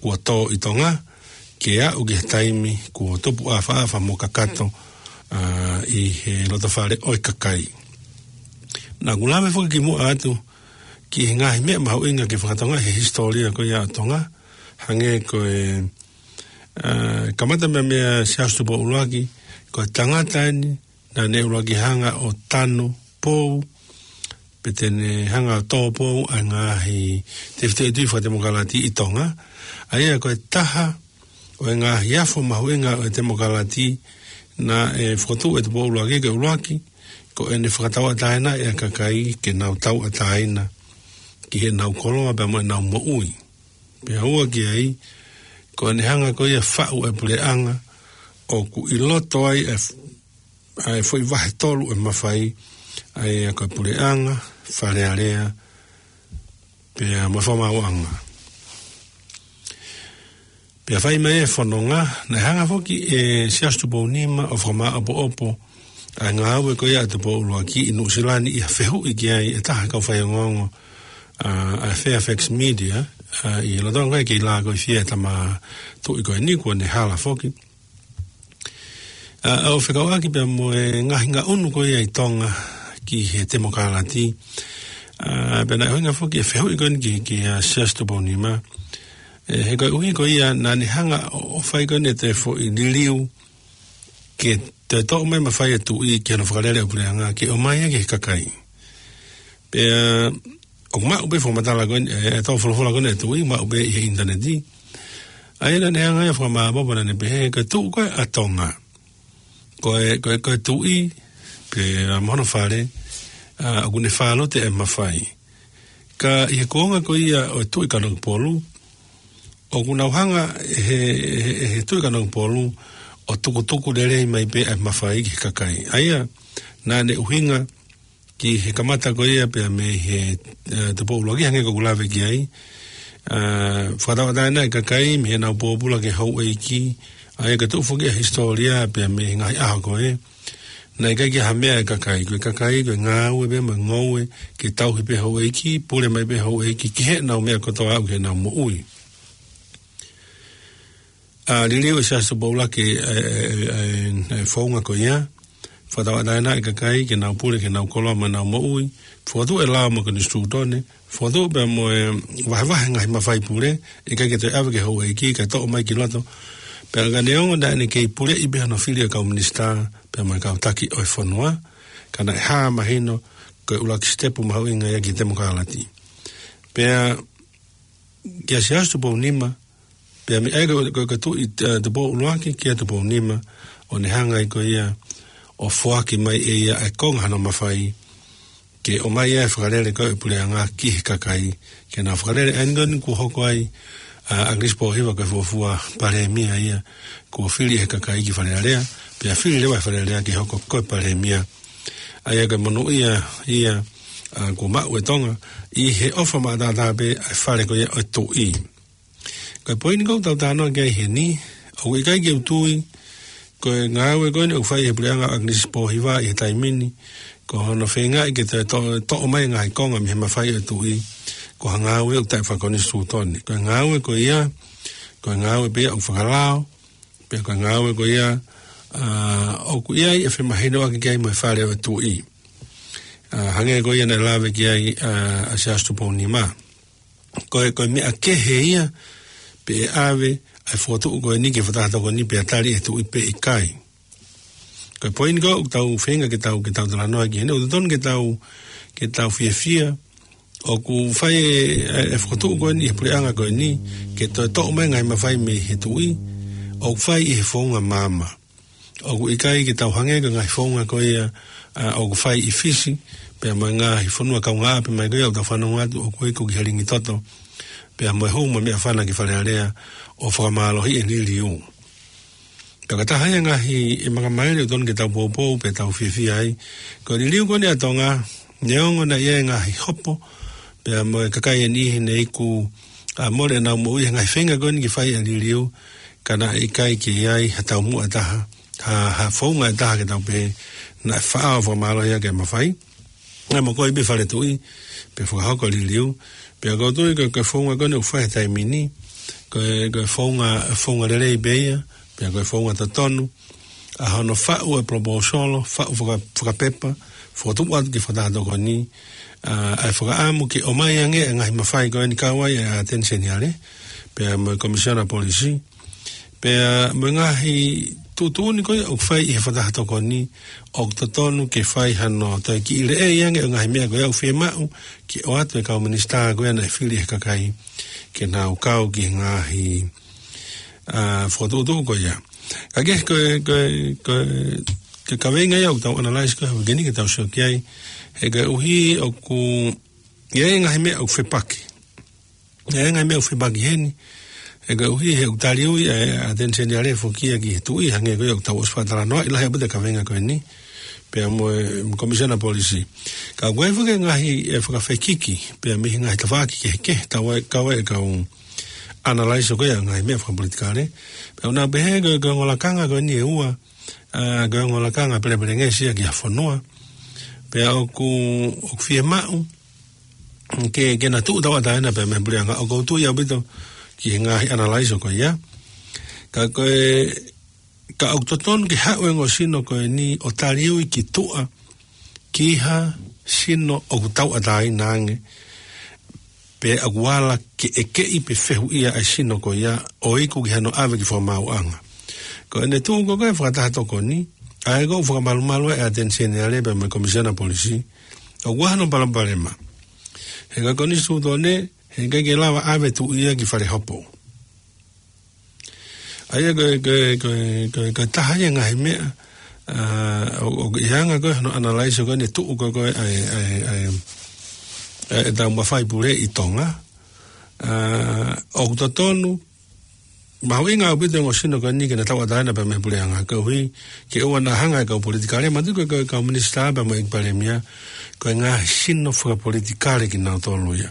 kuo tō ʻi Tonga, ke aʻu ki he taimi kuo tupu ʻāfaʻafa mo kakato, ʻa, ʻi he loto fale ʻo e kakai. Naʻa ku lave foki ki muʻa atu ki he ngaahi meʻa mahuʻinga ke fakatonga he hisitōlia ko ia ʻa Tonga, hangē ko e, ʻa, kamata mei, mei a Siaosi Tupou ʻUluaki, ko e tangata eni, naʻa ne ʻuluaki hanga ʻo tanu pou, pe te ne hanga ʻo tō pou ʻa e ngaahi tefitoʻi tui fakatemokalati ʻi Tonga, ʻa ia ko e taha ʻo e ngaahi afo mahuʻinga ʻo e temokalati naʻe fokotuʻu ʻe Tupou ʻUluaki ko e ʻuluaki, ko ʻene fakatauʻatāinaʻi ʻa e kakai ke nau tauʻatāina ki heʻenau koloa pea mo ʻenau moʻui. Pea ua ki ai, ko ʻene hanga ko ia ʻo faʻu e puleʻanga, ʻoku ʻi loto ai e f-, ʻa e foʻi vahe tolu e mafai, ʻa ia ko e puleʻanga, Fale Alea, pea mo e fakamaauʻanga. Pea fai mai e fononga, naʻe hanga foki ʻe Siaosi Tupou Nima ʻo fakamāʻopoʻopo ʻa e ngāue ko ia ʻa Tupou ʻUluaki ʻi Nuʻusila ni ʻi ha fehuʻi ki ai ʻe taha e kau faiongoongo ʻa, ʻa Fairfax Media, ʻa, ʻi loto ko ē kei lākoifie e tama tuʻi ko eni kuo ne hala foki. ʻA, ʻo fekauʻaki pea mo e ngaahi ngaʻunu ko ia ʻi Tonga ki he temokalati. ʻA, pea naʻe ʻuhinga foki e fehuʻi ko eni ki, kia Siaosi Tupou Nima. ʻE, he koeʻuhi ko ia naʻa ne hanga ʻo, ʻo fai ko eni e toe foʻi liliu ke toe toʻo mai e mafai ʻa e tuʻi ki hono fakalele ʻo e puleʻanga ke ʻomai ia ki he kakai. Pea ʻoku maʻu pē fakamatala ko eni, ʻe, ʻe tau folofola ko eni ʻa e tuʻi, maʻu pē ʻi he ʻinitaneti. ʻA ia naʻa ne hanga ia ʻo fakamāʻopoʻopo naʻa ne pehē, ko e tuʻu ko ē ʻa Tonga. Ko e, ko e, ko e tuʻi, pea mo hono fale, ʻa, ʻoku ne fālute e mafai. Ka ʻi he kuonga ko ia ʻo e Tuʻi Kanokupolu, ʻoku nau hanga he, he, he Tuʻi Kanokupolu ʻo tukutuku lelei mai pē ʻa e mafai ki he kakai. ʻA ia, naʻa ne ʻuhinga ki he kamata ko ia pea mei he, ʻa, Tupou ʻUluaki hangē ko ʻeku lave ki ai. ʻA, fakatauʻatāina e kakai mei heʻenau pōpula ki he houʻeiki. ʻA ia ka tuʻu foki ʻa e hisitōlia pea mei he ngaahi ʻaho ko ē. Naʻe ʻikai ke ʻi ai ha meʻa ʻa e kakai, ko e kakai, ko e ngāue pē mo e ngoue, ke tauhi pē houʻeiki, pule mai pē houʻeiki, ki heʻenau meʻa kotoa ʻoku ʻi heʻenau moʻui. ʻA, liliu ʻe Siaosi Tupou ʻUluaki e, e, e, e, e founga ko ia, fakatauʻatāina e kakai, ke nau pule, ke nau koloa mo ʻenau moʻui, fokotuʻu e lao mo e konisitūtone, fokotuʻu pea mo e vahevahe ngaahi mafai pule, ʻikai ke toe ʻave ki he houʻeiki, kae toʻo mai ki loto. Pea ka neongo naʻa ne kei puleʻi pē hono fili e kau minisitā, pea mo e kau taki ʻo e fonua, ka naʻe hā mahino, ko e ʻuluaki sitepu mahuʻinga ia ki he temokalati. Pea, kia Siaosi Tupou Nima, pea mei ai ko, ko, ko e Tuʻi, ʻa, Tupou ʻUluaki, kia Tupou Nima, ʻo ne hanga ai ko ia, ʻo foaki mai ʻe ia e konga hono mafai, ke ʻomai ʻa e fakalele ko ē ʻo e puleʻanga ki he kakai, ke nau fakalele ʻa eni ko eni kuo hoko ai, ʻa, ʻAkilisi Pōhiva ko e fuofua palēmia ia, kuo fili ʻe he kakai ki Fale Alea, pea fili leva ʻe Fale Alea ke hoko ko e palēmia. ʻA ia ko e monūʻia ia, ʻa, kuo maʻu ʻe Tonga, ʻi he ʻofa maʻataʻatā pē ʻa e fale ko ia ʻo e tuʻi. Ko e poini ʻoku tau talanoa ki ai heni, ʻoku ʻikai ke u tui, ko e ngāue ko eni ʻoku fai ʻe he puleʻanga ʻo ʻAkilisi Pōhiva ʻi he taimi ni, ko hono feingaʻi ke toe to-, toʻo mai e ngaahi konga mei he mafai ʻo e tuʻi, ko ha ngāue ʻoku taʻefakakonisitūtone. Ko e ngāue ko ia, ko e ngāue pē ia ʻoku fakalao, pea ko e ngāue ko ia, ʻa, ʻoku ʻi ai e femahinoʻaki ki ai mo e fale ʻo e tuʻi. ʻA, hangē ko ia naʻe lave ki ai, ʻa, ʻa Siaosi Tupou Nima. Ko e, ko e meʻa kehe ia, pe ʻe ʻave ʻa e fokotuʻu ko eni ki he fakataha tokoni pea tali ʻe he tuʻi pe ʻikai. Ko e poini ko ē ʻoku tau feinga ke tau, ke tau talanoa ki heni, ʻoku totonu ke tau, ke tau fiefia, ʻoku fai e, e, e fokotuʻu ko eni ʻe he puleʻanga ko eni, ke toe toʻo mai e ngaahi mafai mei he tuʻi, ʻoku fai ʻi he founga maama. ʻOku ʻikai ke tau hangē ko e ngaahi founga ko ia, ʻa, ʻoku fai ʻi Fisi, pea mo e ngaahi fonua kaungāʻapi mai ko ia ʻoku tau fanongo atu ʻoku ʻi ai ko e kiʻi helingi toto, pea mo e hū mo e meʻafana ki Fale Alea, ʻo fakamālohiʻi e liliu. Pea ko e taha ia e ngaahi e makamaile ʻoku totonu ke tau poupou, pea tau fiefia ai. Ko e liliu ko eni ʻa Tonga, neongo naʻe ʻi ai e ngaahi hopo, pea mo e kakai ʻe niʻihi ne iku, ʻa, mole ʻenau moʻui he ngaahi feinga ko eni ke fai ʻa e liliu, ka naʻe ʻikai ke ʻi ai ha taumuʻa ʻe taha, ha, ha founga ʻe taha ke tau pehē, naʻe faʻa ʻo fakamālohiʻi ʻaki e mafai. Naʻe mokoi pē Fale Tuʻi, pea fakahoko e liliu, pea ʻoku ou tui ko e, ko e founga ko eni ʻoku fai he taimi ni, ko e, ko e founga, founga lelei pē ia, pea ko e founga totonu, ʻa hono faʻu e proposal, faʻu faka-, fakapepa, fokotuʻu atu ki he fakataha tokoni, ʻa, ʻa e fakaʻamu ke ʻomai ange e ngaahi mafai ko eni kau ai ʻa e ʻAteni Seniale, pea mo e Komisiona Polisi, pea mo e ngaahi tuʻutuʻuni ko ia ʻoku fai ʻi he fakataha tokoni, ʻoku totonu ke fai hano toe kiʻi leʻei ange ʻo e ngaahi meʻa ko ia ʻoku fiemaʻu, ke ʻoatu ʻe he kau minisitā ko ia naʻe fili ʻe he kakai, ke nau kau ki he ngaahi, ʻa, fokotuʻutuʻu ko ia. Ka ke, ko e, ko e, ko e, ko e kaveinga ia ʻoku tau analyze ko ē, ʻoku ʻi heni ke tau sio ki ai, he koeʻuhi ʻoku ʻi ai e ngaahi meʻa ʻoku fepaki. ʻI ai e ngaahi meʻa ʻoku fepaki heni, he koeʻuhi he ʻoku taliui ʻa e ʻAteni Seniale foki ia ki he tuʻi, hangē ko ia ʻoku tau ʻosi fakatalanoaʻi lahi ʻaupito e kaveinga ko eni, pea mo e Komisiona Polisi. Ka ʻoku ʻi ai foki e ngaahi e fakafekiki, pea mei he ngaahi tafaʻaki kehekehe, tau ai, kau ai e kau, analyze ko ia ʻa e ngaahi meʻa fakapolitikale. Pea ʻoku nau pehē ko e, ko e ongo lakanga ko eni ʻe ua, ʻa, ko e ongo lakanga pelepelengesi ia ki ha fonua. Pea ʻoku, ʻoku fiemaʻu ke, ke na tuʻu tauʻatāina pea mei he puleʻanga. ʻOku ou tui ʻaupito ki he ngaahi analyze ko ia. Ka ko e, ka ʻoku totonu ke haʻu e ongo sino ko eni ʻo taliui ki tuʻa ki ha sino ʻoku tauʻatāina ange, pe ʻoku ala ke ʻekeʻi pe fehuʻia ʻa e sino ko ia ʻo iku ki hano ʻave ki fakamaauʻanga. Ko ʻene tuʻu ko ē ko e fakataha tokoni, ʻa ē ʻoku fakamalumalu ai ʻa e ʻAteni Seniale pea mo e Komisiona Polisi, ʻoku ʻi ai hano palopalema. He ko e konisitūtone, he ʻikai ke lava ʻave tuʻi ia ki fale hopo. ʻA ia ko e, ko e, ko e, ko e, ko e taha ia ngaahi meʻa, ʻa, ʻo, ʻoku ʻi ai ʻa e anga ko ē hono analyze ko eni tuʻu ko ē ko ē ʻa e, ʻa e, ʻa e, ʻa e taumafai pule ʻi Tonga. ʻA, ʻoku totonu, mahuʻinga ʻaupito e ongo sino ko eni ke na tauʻatāina pea mei he puleʻanga, koeʻuhi ke ʻoua naʻa hanga ʻe he kau politikale, manatuʻi ko e, ko e kau minisitā pea mo e ʻEiki Palēmia, ko e ngaahi sino fakapolitikale kinautolu ia.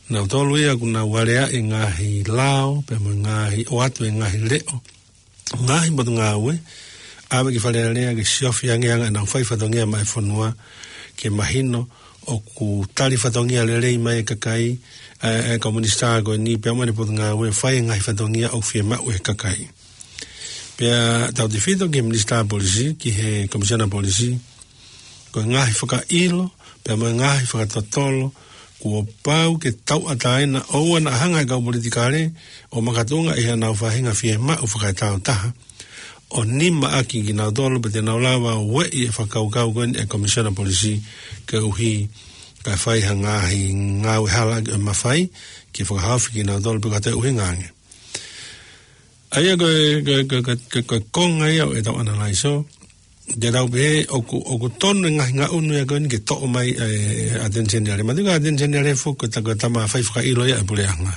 Nautolu ia ʻoku nau aleaʻi e ngaahi lao, pea mo e ngaahi ʻoatu e ngaahi leʻo, ngaahi potungāue, ʻave ki Fale Alea ke siofi ange ʻa e anga ʻenau fai fatongia maʻa e fonua, ke mahino ʻoku tali fatongia lelei mai e kakai, ʻa e, ʻa e kau minisitā ko eni pea mo ʻene potungāue fai e ngaahi fatongia ʻoku fiemaʻu ʻe he kakai. Pea tautefito ki he Minisitā Polisi, ki he Komisiona Polisi, ko e ngaahi fakaʻilo, pea mo e ngaahi fakatotolo, kuo pau ke tauʻatāina ʻoua naʻa hanga ʻe he kau politikale ʻo makatuʻunga ʻi haʻanau faʻahinga fiemaʻu fakaetau taha, ʻo nimaʻaki kinautolu pe te nau lava ʻo ueʻi e fakakaukau ko eni ʻa e Komisiona Polisi koeʻuhi kae fai ha ngaahi ngāue hala ʻaki e mafai ke fakahaofi kinautolu pe ko ha toe ʻuhinga ange. ʻA ia ko e, ko e, ko e, ko e, ko e, ko e konga ia ʻo ʻetau analyze. Te tau pehē ʻoku, ʻoku tonu e ngaahi ngaʻunu ia ko eni ke toʻo mai ʻa e, ʻa e ʻAteni Seniale. Manatuʻi ko e ʻAteni Seniale foki ko e ta-, ko e tama fai fakaʻilo ia ʻa e puleʻanga.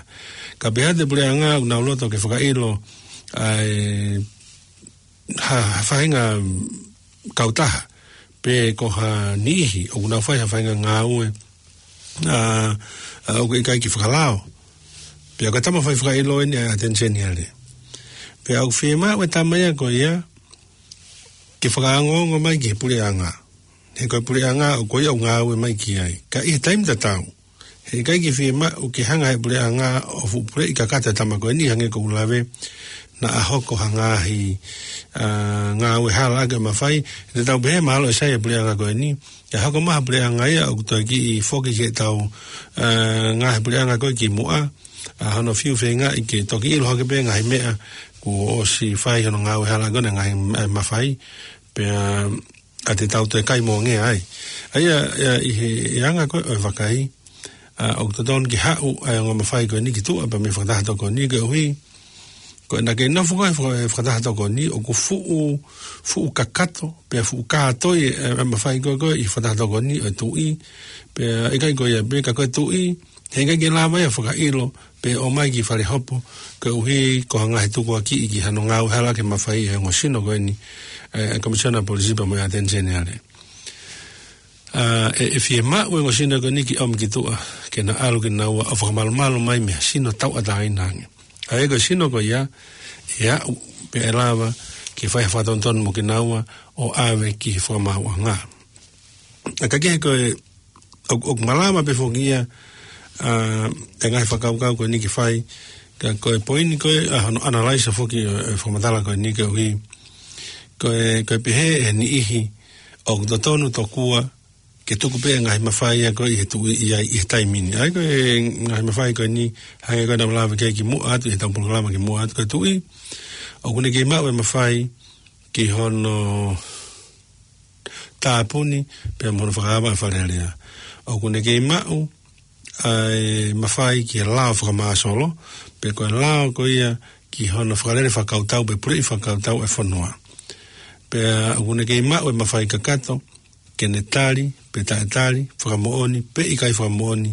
Ka pehē atu e puleʻanga ʻoku nau loto ke fakaʻilo ʻa e ha, ha faʻahinga kautaha, pe ko ha niʻihi ʻoku nau fai ha faʻahinga ngāue, ʻa, ʻa, ʻoku ʻikai ke fakalao. Pea ko e tama fai fakaʻilo eni ʻa e ʻAteni Seniale. Pea ʻoku fiemaʻu e tama ia ko ia ke fakaongoongo mai ki he puleʻanga. He ko e puleʻanga ʻoku, ko ia ʻoku ngāue mai ki ai. Ka ʻi he taimi tatau, he ʻikai ke fiemaʻu ke hanga ʻe he puleʻanga ʻo fuʻu puleʻi kakato e tama ko eni hangē ko ʻeku lave, naʻa hoko ha ngaahi, ʻa, ngāue hala ʻaki e mafai. Te tau pehē mahalo ʻe sai e puleʻanga ko eni, ʻe hoko mai ha puleʻanga ia ʻoku toe kiʻi foki ki heʻetau, ʻa, ngaahi puleʻanga ko ē kimuʻa, ʻa, hono fiu feingaʻi ke toki ʻilo hake pē ngaahi meʻa kuo ʻosi fai hono ngāue hala ko ē ngaahi, ʻa, mafai, pea ʻa te tau toe kai mongea ai. ʻA ia, ʻa ia ʻi he, ʻi he anga ko ē ʻo e vakai, ʻa, ʻoku totonu ke haʻu ʻa e ongo mafai ko eni ki tuʻa pea mei he fakataha tokoni koeʻuhi ko ʻena kei nofo ko ē he faka-, he fakataha tokoni ʻoku fuʻu, fuʻu kakato, pea fuʻu kātoi e, e mafai ko ē ko ē ʻi he fakataha tokoni ʻo e tuʻi, pea ʻikai ko ia pē ka ko e tuʻi, he ʻikai ke lava ia ʻo fakaʻilo pe ʻomai ki fale hopo, koeʻuhi ko ha ngaahi tukuakiʻi ki hano ngāue hala ʻaki e mafai ʻe he ongo sino ko eni, ʻe, ʻe Komisiona Polisi pea mo e ʻAteni Seniale. ʻA, ʻe, ʻe fiemaʻu e ongo sino ko eni ke ʻomi ki tuʻa, ke na ʻalu kinaua ʻo fakamalumalu mai mei ha sino tauʻatāina ange. ʻA ia ko e sino ko ia, ʻe aʻu pea ʻe lava ke fai ha fakatonutonu mo kinaua ʻo ʻave ki he fakamaauʻanga. ʻA, ka kehe ko e ʻoku, ʻoku malava pē foki ia, ʻa, e ngaahi fakakaukau ko eni ke fai, ka ko e poini ko ē, ʻa, hono analyze foki ʻo e fakamatala ko eni koeʻuhi ko e, ko e pehē ʻe he niʻihi ʻoku totonu tokua ke tuku pē e ngaahi mafai ia ko ē ʻi he tuʻi ia ʻi he taimi ni. ʻA ia ko e ngaahi mafai ko eni, hangē ko ʻenau lave ki ai kimuʻa atu, ʻi heʻetau polokalama kimuʻa atu, ko e tuʻi ʻoku ne kei maʻu e mafai ki hono tāpuni pea mo hono fakaava ʻa Fale Alea. ʻOku ne kei maʻu ʻa e mafai ki he lao fakamāsolo, pe ko e lao ko ia ki hono fakalele fakakautau pe puleʻi fakakautau e fonua. Pea ʻoku ne kei maʻu e mafai kakato ke ne tali pe taʻetali, fakamoʻoni pe ʻikai fakamoʻoni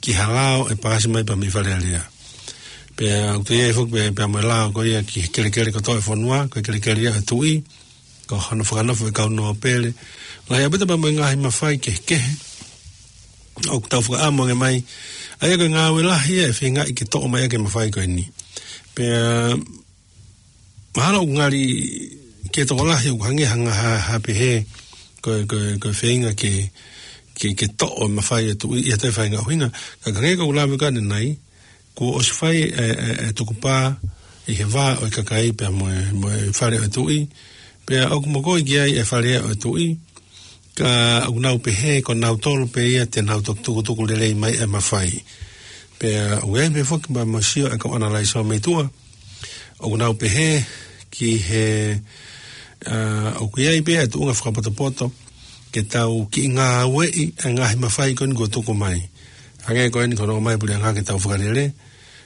ki ha lao ʻe paasi mai pea mei Fale Alea. Pea ʻoku toe ʻi ai foki pea, pea mo e lao ko ia ki he kelekele kotoa e fonua, ko e kelekele ia e tuʻi, ko hono fakanofo e kau nōpele. Lahi ʻaupito pea mo e ngaahi mafai kehekehe ʻoku tau fakaʻamu ange mai ʻA ia ko e ngāue lahi ia ʻe feingaʻi ke toʻo mai ʻaki e mafai ko eni. Pea mahalo ʻoku ngali ke tokolahi ʻoku hangē ha ngaahi ha, ha pehē ko e, ko e, ko e feinga ke, ke, ke toʻo e mafai ʻa e tuʻi ʻi ha toe faʻahinga ʻuhinga. Ka ko e hangē ko ʻeku lave ko ē ʻanenai, kuo ʻosi fai e, e, e tukupā ʻi he vā ʻo e kakai pea mo e, mo e fale ʻo e tuʻi. Pea ʻoku mokoʻi ki ai e fale ʻo e tuʻi. Ka ʻoku nau pehē ko nautolu pē ia te nau tukutuku lelei mai e mafai. Pea ʻoku ʻi ai pē foki mo e sio ʻa e kau ʻanalaiso mei tuʻa, ʻoku nau pehē ki he, ʻa, ʻoku ʻi ai pē e tuʻunga fakapotopoto ke tau kiʻi ngāueʻi e ngaahi mafai ko eni kuo tuku mai. Hangē ko eni ko hono ʻomai e puleʻanga ke tau fakalele.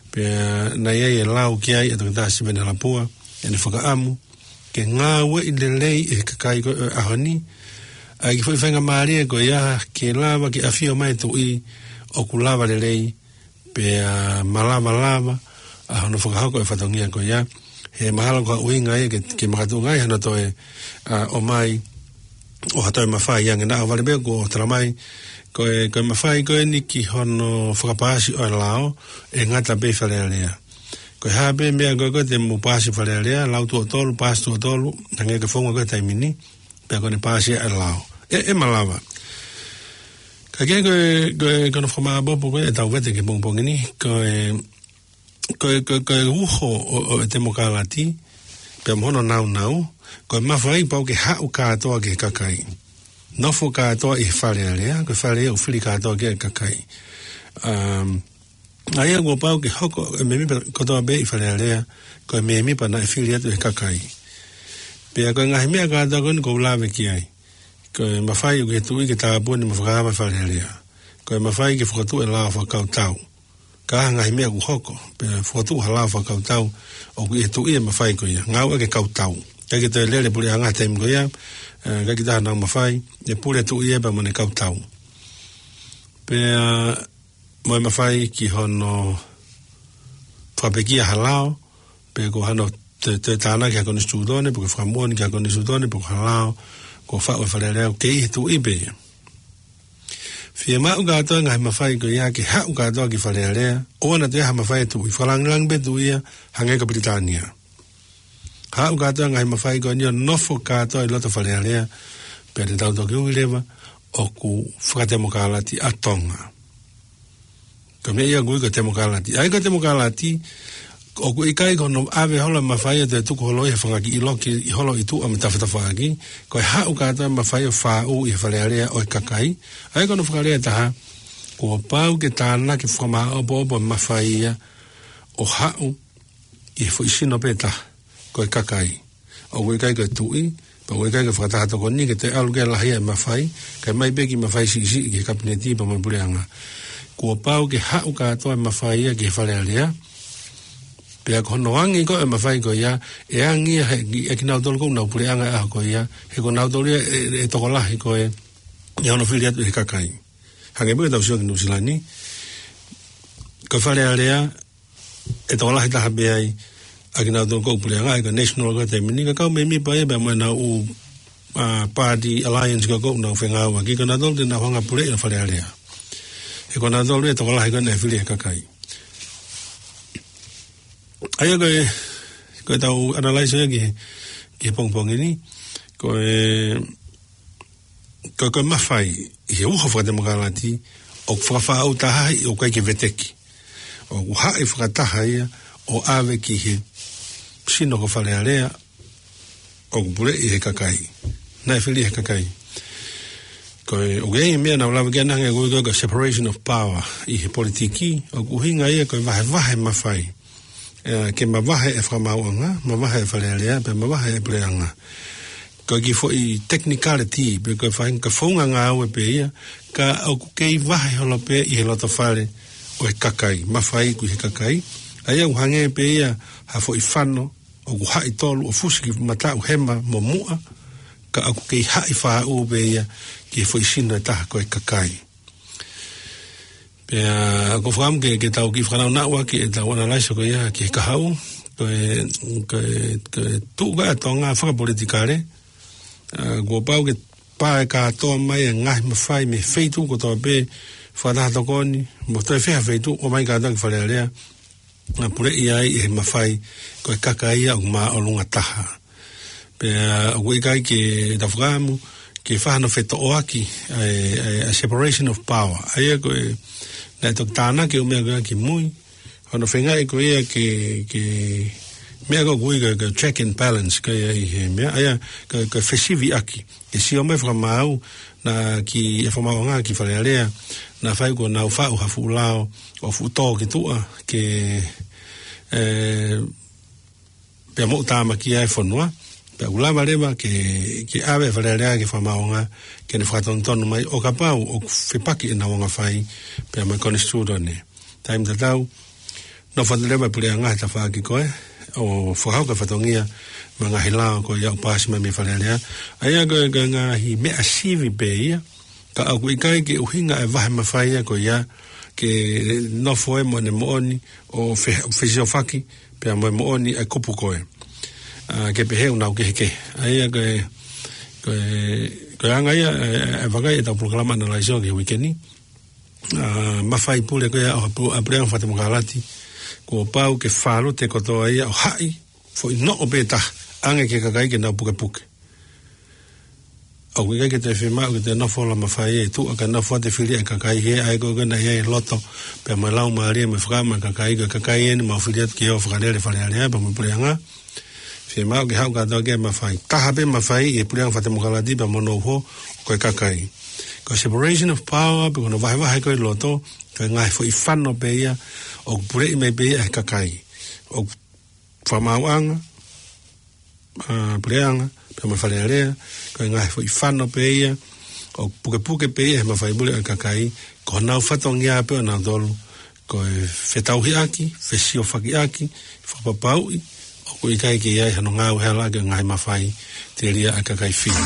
Pea naʻe ʻi ai e lau ki ai ʻa Toketā Siveni Halapua, ʻene fakaʻamu ke ngāueʻi lelei ʻe he kakai ko ē ʻo e ʻaho ni ʻa e kiʻi foʻi faingamālie ko ia ke lava ke ʻafio mai e tuʻi ʻoku lava lelei, pea malava lava ʻa hono fakahoko e fatongia ko ia. He mahalo ko e ʻuhinga ia ke, ke makatuʻunga ai hano toe, ʻa, ʻomai ʻo ha toe mafai ange. Naʻa vale pē kuo talamai ko e, ko e mafai ko eni ki hono fakapaasi ʻo e lao ʻe ngata pē ʻi Fale Alea. Ko e hā pē meʻa ko ē ko ē te mou paasi ʻi Fale Alea, lau tuʻo tolu, paasi tuʻo tolu, hangē ko e founga ko ē he taimi ni, pea ko ʻene paasi ʻa e lao. ʻE, ʻe malava. Ka ko e, ko e, ko e, ko hono fakamāʻopoʻopo ko ē ʻetau vete ki he pongipongi ni, ko e, ko e, ko e, ko e uho ʻo, ʻo e temokalati, pea mo hono naunau, ko e mafai pau ke haʻu kātoa ki he kakai. Nofo kātoa ʻi he Fale Alea, ko e fale ia ʻoku fili kātoa ki ai e kakai. Um, ʻA ia kuo pau ke hoko e mēmipa kotoa pē ʻi Fale Alea ko e mēmipa naʻe fili atu ʻe he kakai. Pea ko e ngaahi meʻa kātoa ko eni ʻoku ou lave ki ai, ko e mafai ʻoku ʻi he tuʻi ke tāpuni mo fakaava Fale Alea. Ko e mafai ke fokotuʻu e lao fakakautau. Ka ʻi ai ha ngaahi meʻa ʻoku hoko, pea fokotuʻu ha lao fakakautau, ʻoku ʻi he tuʻi e mafai ko ia. Ngāueʻaki e kautau. ʻIkai ke toe lele e puleʻanga he taimi ko ia, ē, ʻikai ke taha nau mafai, ʻe pule e tuʻi ia pea mo ʻene kautau. Pea mo e mafai ki hono fakapekia ha lao, pe ko hano toe, toe tānaki ha konisitūtone, pe ko e fakamoʻoni ki ha konisitūtone, pe ko ha lao kuo faʻu ʻe Fale Alea, ʻoku kei ʻi he tuʻi pē ia. Fiemaʻu kātoa e ngaahi mafai ko ia ke haʻu kātoa ki Fale Alea, ʻoua naʻa toe ʻi ai ha mafai ʻa e tuʻi, fakalāngilangi pē tuʻi ia, hangē ko Pilitānia. Haʻu kātoa e ngaahi mafai ko eni ʻo nofo kātoa ʻi loto Fale Alea, pea te tau toki ui leva ʻoku fakatemokalati ʻa Tonga. Ko e meʻa ia ʻoku ui ko e temokalati. ʻA ia ko e temokalati, ʻoku ʻikai ko hono ʻave holo e mafai ʻo toe tuku holo ʻi he fanga kiʻi loki ʻi holo ʻi tuʻa mo tafatafaʻaki, ko e haʻu kātoa e mafai ʻo faʻu ʻi he Fale Alea ʻo e kakai. ʻA ia ko hono fakalea ʻe taha, kuo pau ke tānaki fakamāʻopoʻopo e mafai ia ʻo haʻu ʻi he foʻi sino pē taha, ko e kakai. ʻOku ʻikai ko e tuʻi, pea ʻoku ʻikai ko e fakataha tokoni ke toe ʻalu ke lahi e mafai, kae ʻomai pē kiʻi mafai siʻisiʻi ki he kapineti pea mo e puleʻanga. Kuo pau ke haʻu kātoa e mafai ia ki he Fale Alea, pea ko hono angi ko ē e mafai ko ia, ʻe angi ia he, ʻe kinautolu ko ē ʻoku nau puleʻanga he ʻaho ko ia, he ko nautolu ia ʻe, ʻe tokolahi ko ē ʻi hono fili atu ʻe he kakai. Hangē pē ko ʻetau sio ki Nuʻusila ni, ko e Fale Alea, ʻe tokolahi taha pē ai ʻa kinautolu ko ē ʻoku puleʻanga, ʻa ia ko e National ko ē he taimi ni, ka ko e kau mēmipa ia pea mo ʻenau ʻū, ʻa, party alliance ko ē ʻoku nau fengāueʻaki, ko nautolu te nau hanga ʻo puleʻi e Fale Alea. He ko nautolu ʻe tokolahi ko ē naʻe fili ʻe he kakai. ʻA ia ko e, ko ʻetau analyze ia ki he, ki he pongipongi ni, ko e, ko, ko e mafai ʻi he uho fakatemokalati ʻoku fakafaʻu taha ai ʻoku ʻikai ke veteki. ʻOku haʻi fakataha ia ʻo ʻave ki he sino ko Fale Alea ʻoku puleʻi ʻe he kakai. Naʻe fili ʻe he kakai. Ko e, ʻoku ʻi ai e meʻa naʻa ku lave ki ai ʻanenai, ko e, ko e separation of power ʻi he politiki, ʻoku ʻuhinga ia ko e vahevahe mafai. ʻE, ke mavahe e fakamaauʻanga, mavahe e Fale Alea, pea mavahe e puleʻanga. Ko e kiʻi foʻi technicality, pe ko e faʻahinga founga ngāue pē ia, ka ʻoku kei vahe holo pē ʻi he loto fale ʻo e kakai, mafai ʻoku ʻi he kakai. ʻA ia ʻoku hangē pē ia ha foʻi fano, ʻoku haʻi tolu ʻo fusi ki mataʻu, hema mo muʻa, ka ʻoku kei haʻi faʻu pē ia ki he foʻi sino ʻe taha ko e kakai. Pea ʻoku ou fakaʻamu ke, ke tau kiʻi fakanaunauʻaki ʻetau analyze ko ia ki he kahaʻu, ko e, ko e, ko e tuʻu ko ē ʻa Tonga fakapolitikale, ʻa, kuo pau ke pā e kātoa mai e ngaahi mafai mei he feituʻu kotoa pē, fakataha tokoni, mo toe fē ha feituʻu, ʻomai kātoa ki Fale Alea, naʻa puleʻi ai ʻe he mafai ko e kakai ia ʻoku māʻolunga taha. Pea ʻoku ʻikai ke tau fakaʻamu ke fai hano fetoʻoaki, ʻa e, ʻa e, ʻa e separation of power. ʻA ia ko e, naʻe toki tānaki ʻa e meʻa ko ia ki mui, hono feingaʻi ko ia ke, ke meʻa ko ē ʻoku ui ko e, ko e check and balance ko ia ʻi he meʻa, ʻa ia ko e, ko e fesiviʻaki. Ke sio mai fakamaau, naʻe ʻi ai e fakamaauʻanga ki Fale Alea, naʻe fai ko ʻenau faʻu ha fuʻu lao ʻo fuʻu tō ki tuʻa, ke, ē, pea moʻutāmaki ai e fonua, pea ʻoku lava leva ke, ke ʻave ʻe Fale Alea ki he fakamaauʻanga, ke ne fakatonutonu mai ʻo kapau ʻoku fepaki ʻenau anga fai pea mo e konisitūtone. Taimi tatau, nofo atu leva e puleʻanga he tafaʻaki ko ē, ʻo fakahoko e fatongia mo e ngaahi lao ko ia ʻoku paasi mai mei Fale Alea. ʻA ia ko e, ko e ngaahi meʻa sivi pē ia, ka ʻoku ʻikai ke ʻuhinga e vahe mafai ia ko ia ke nofo ē mo ʻene moʻoni ʻo fe-, fesiofaki pea mo e moʻoni ʻa e kupu ko ē. ʻA, ke pehē ʻoku nau kehekehe. ʻA ia ko e, ko e, ko e anga ia, ē, ē, vakai ʻetau polokalama Analyze ʻo e uike ni. ʻA, mafai pule ko ia ʻa e pu-, ʻa e puleʻanga fakatemokalati, kuo pau ke fālute kotoa ia ʻo haʻi, foʻi noʻo pē taha, ʻange ki he kakai ke nau pukepuke. ʻOku ʻikai ke toe fiemaʻu ke toe nofo ʻo lama fai e tuʻa ka nofo ʻo fili ʻe he kakai he ʻa ia ko ē naʻe ʻi ai e loto, pea mo e laumālie mo e fakaʻamu ʻa e kakai, ko e kakai eni mau fili atu ke ō ʻo fakalele Fale Alea pea mo e puleʻanga. Fiemaʻu ke haʻu kātoa ki he mafai. Taha pē mafai ʻi he puleʻanga fakatemokalati pea mo hono uho ko e kakai. Ko e separation of power, pe ko hono vahevahe ko ē loto, ko e ngaahi foʻi fano pē ia, ʻoku puleʻi mai pē ia ʻe he kakai. ʻOku fakamaauʻanga, ʻa, puleʻanga, pea mo Fale Alea, ko e ngaahi foʻi fano pē ia, ʻoku pukepuke pē ia ʻe he mafai pule ʻo e kakai, ko honau fatongia pē ʻonautolu, ko e fetauhiʻaki, fesiofakiʻaki, fakapapauʻi ʻoku ʻikai ke ʻi ai hano ngāue hala ʻaki e ngaahi mafai telia ʻa e kakai Fili.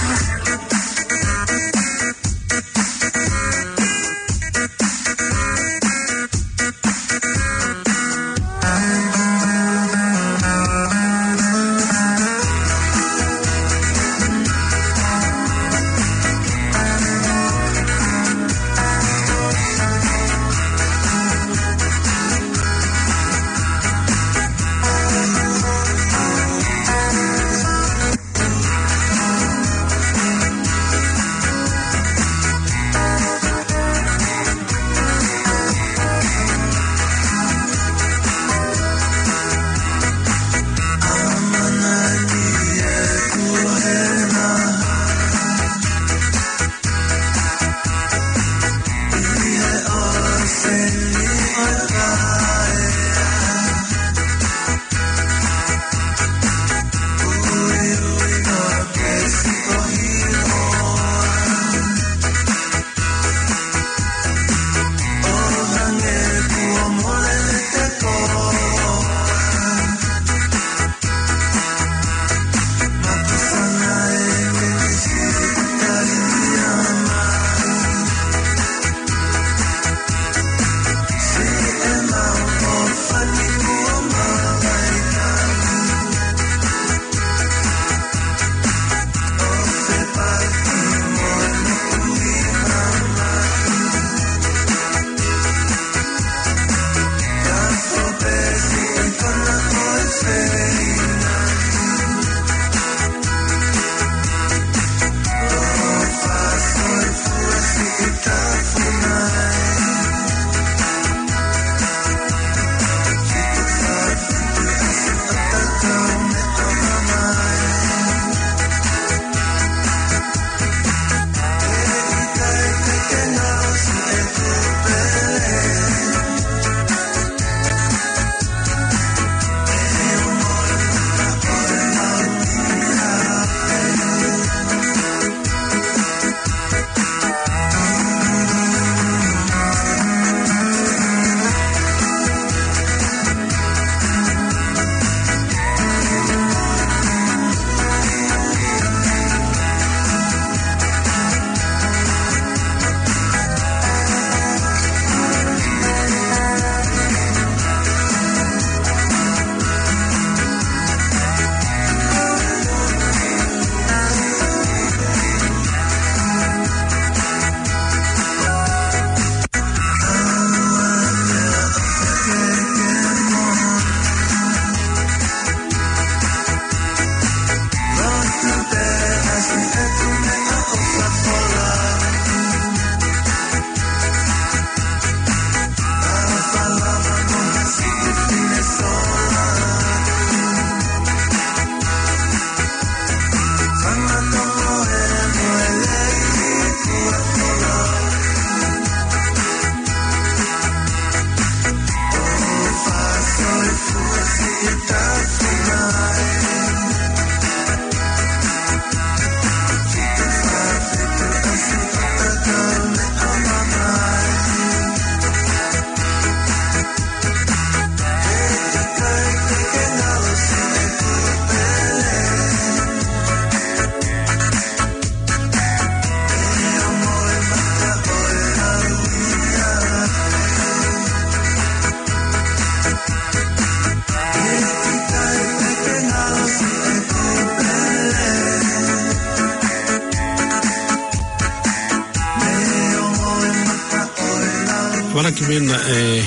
Ala ki mena e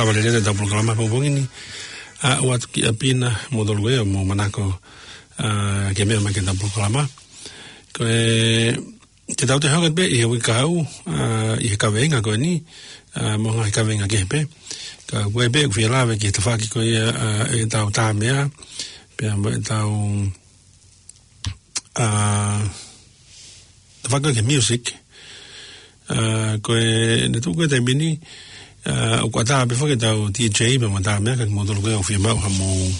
lava lelena ʻetau polokalama pongipongi ni. ʻA, ʻoatu ki ʻapi na, mo tolu ko ia, mo manako, ʻa, ke meʻa mai ki heʻetau polokalama. Ko e, te tau toe hoko atu pē ʻi he uike kahaʻu, ʻa, ʻi he kaveinga ko eni, ʻa, mo e ngaahi kaveinga kehe pē. Ka ko e pē ʻoku fie lave ki he tafaʻaki ko ia, ʻa, ʻetau tā meʻa, pea mo ʻetau, ʻa, tafaʻaki ki he music. ʻA, ko e, ne tuʻu ko e taimi ni, ʻa, ʻoku ʻatā pē foki ʻetau D J pea mo e tā meʻa ka kimoutolu ko ia ʻoku fie maʻu ha mou,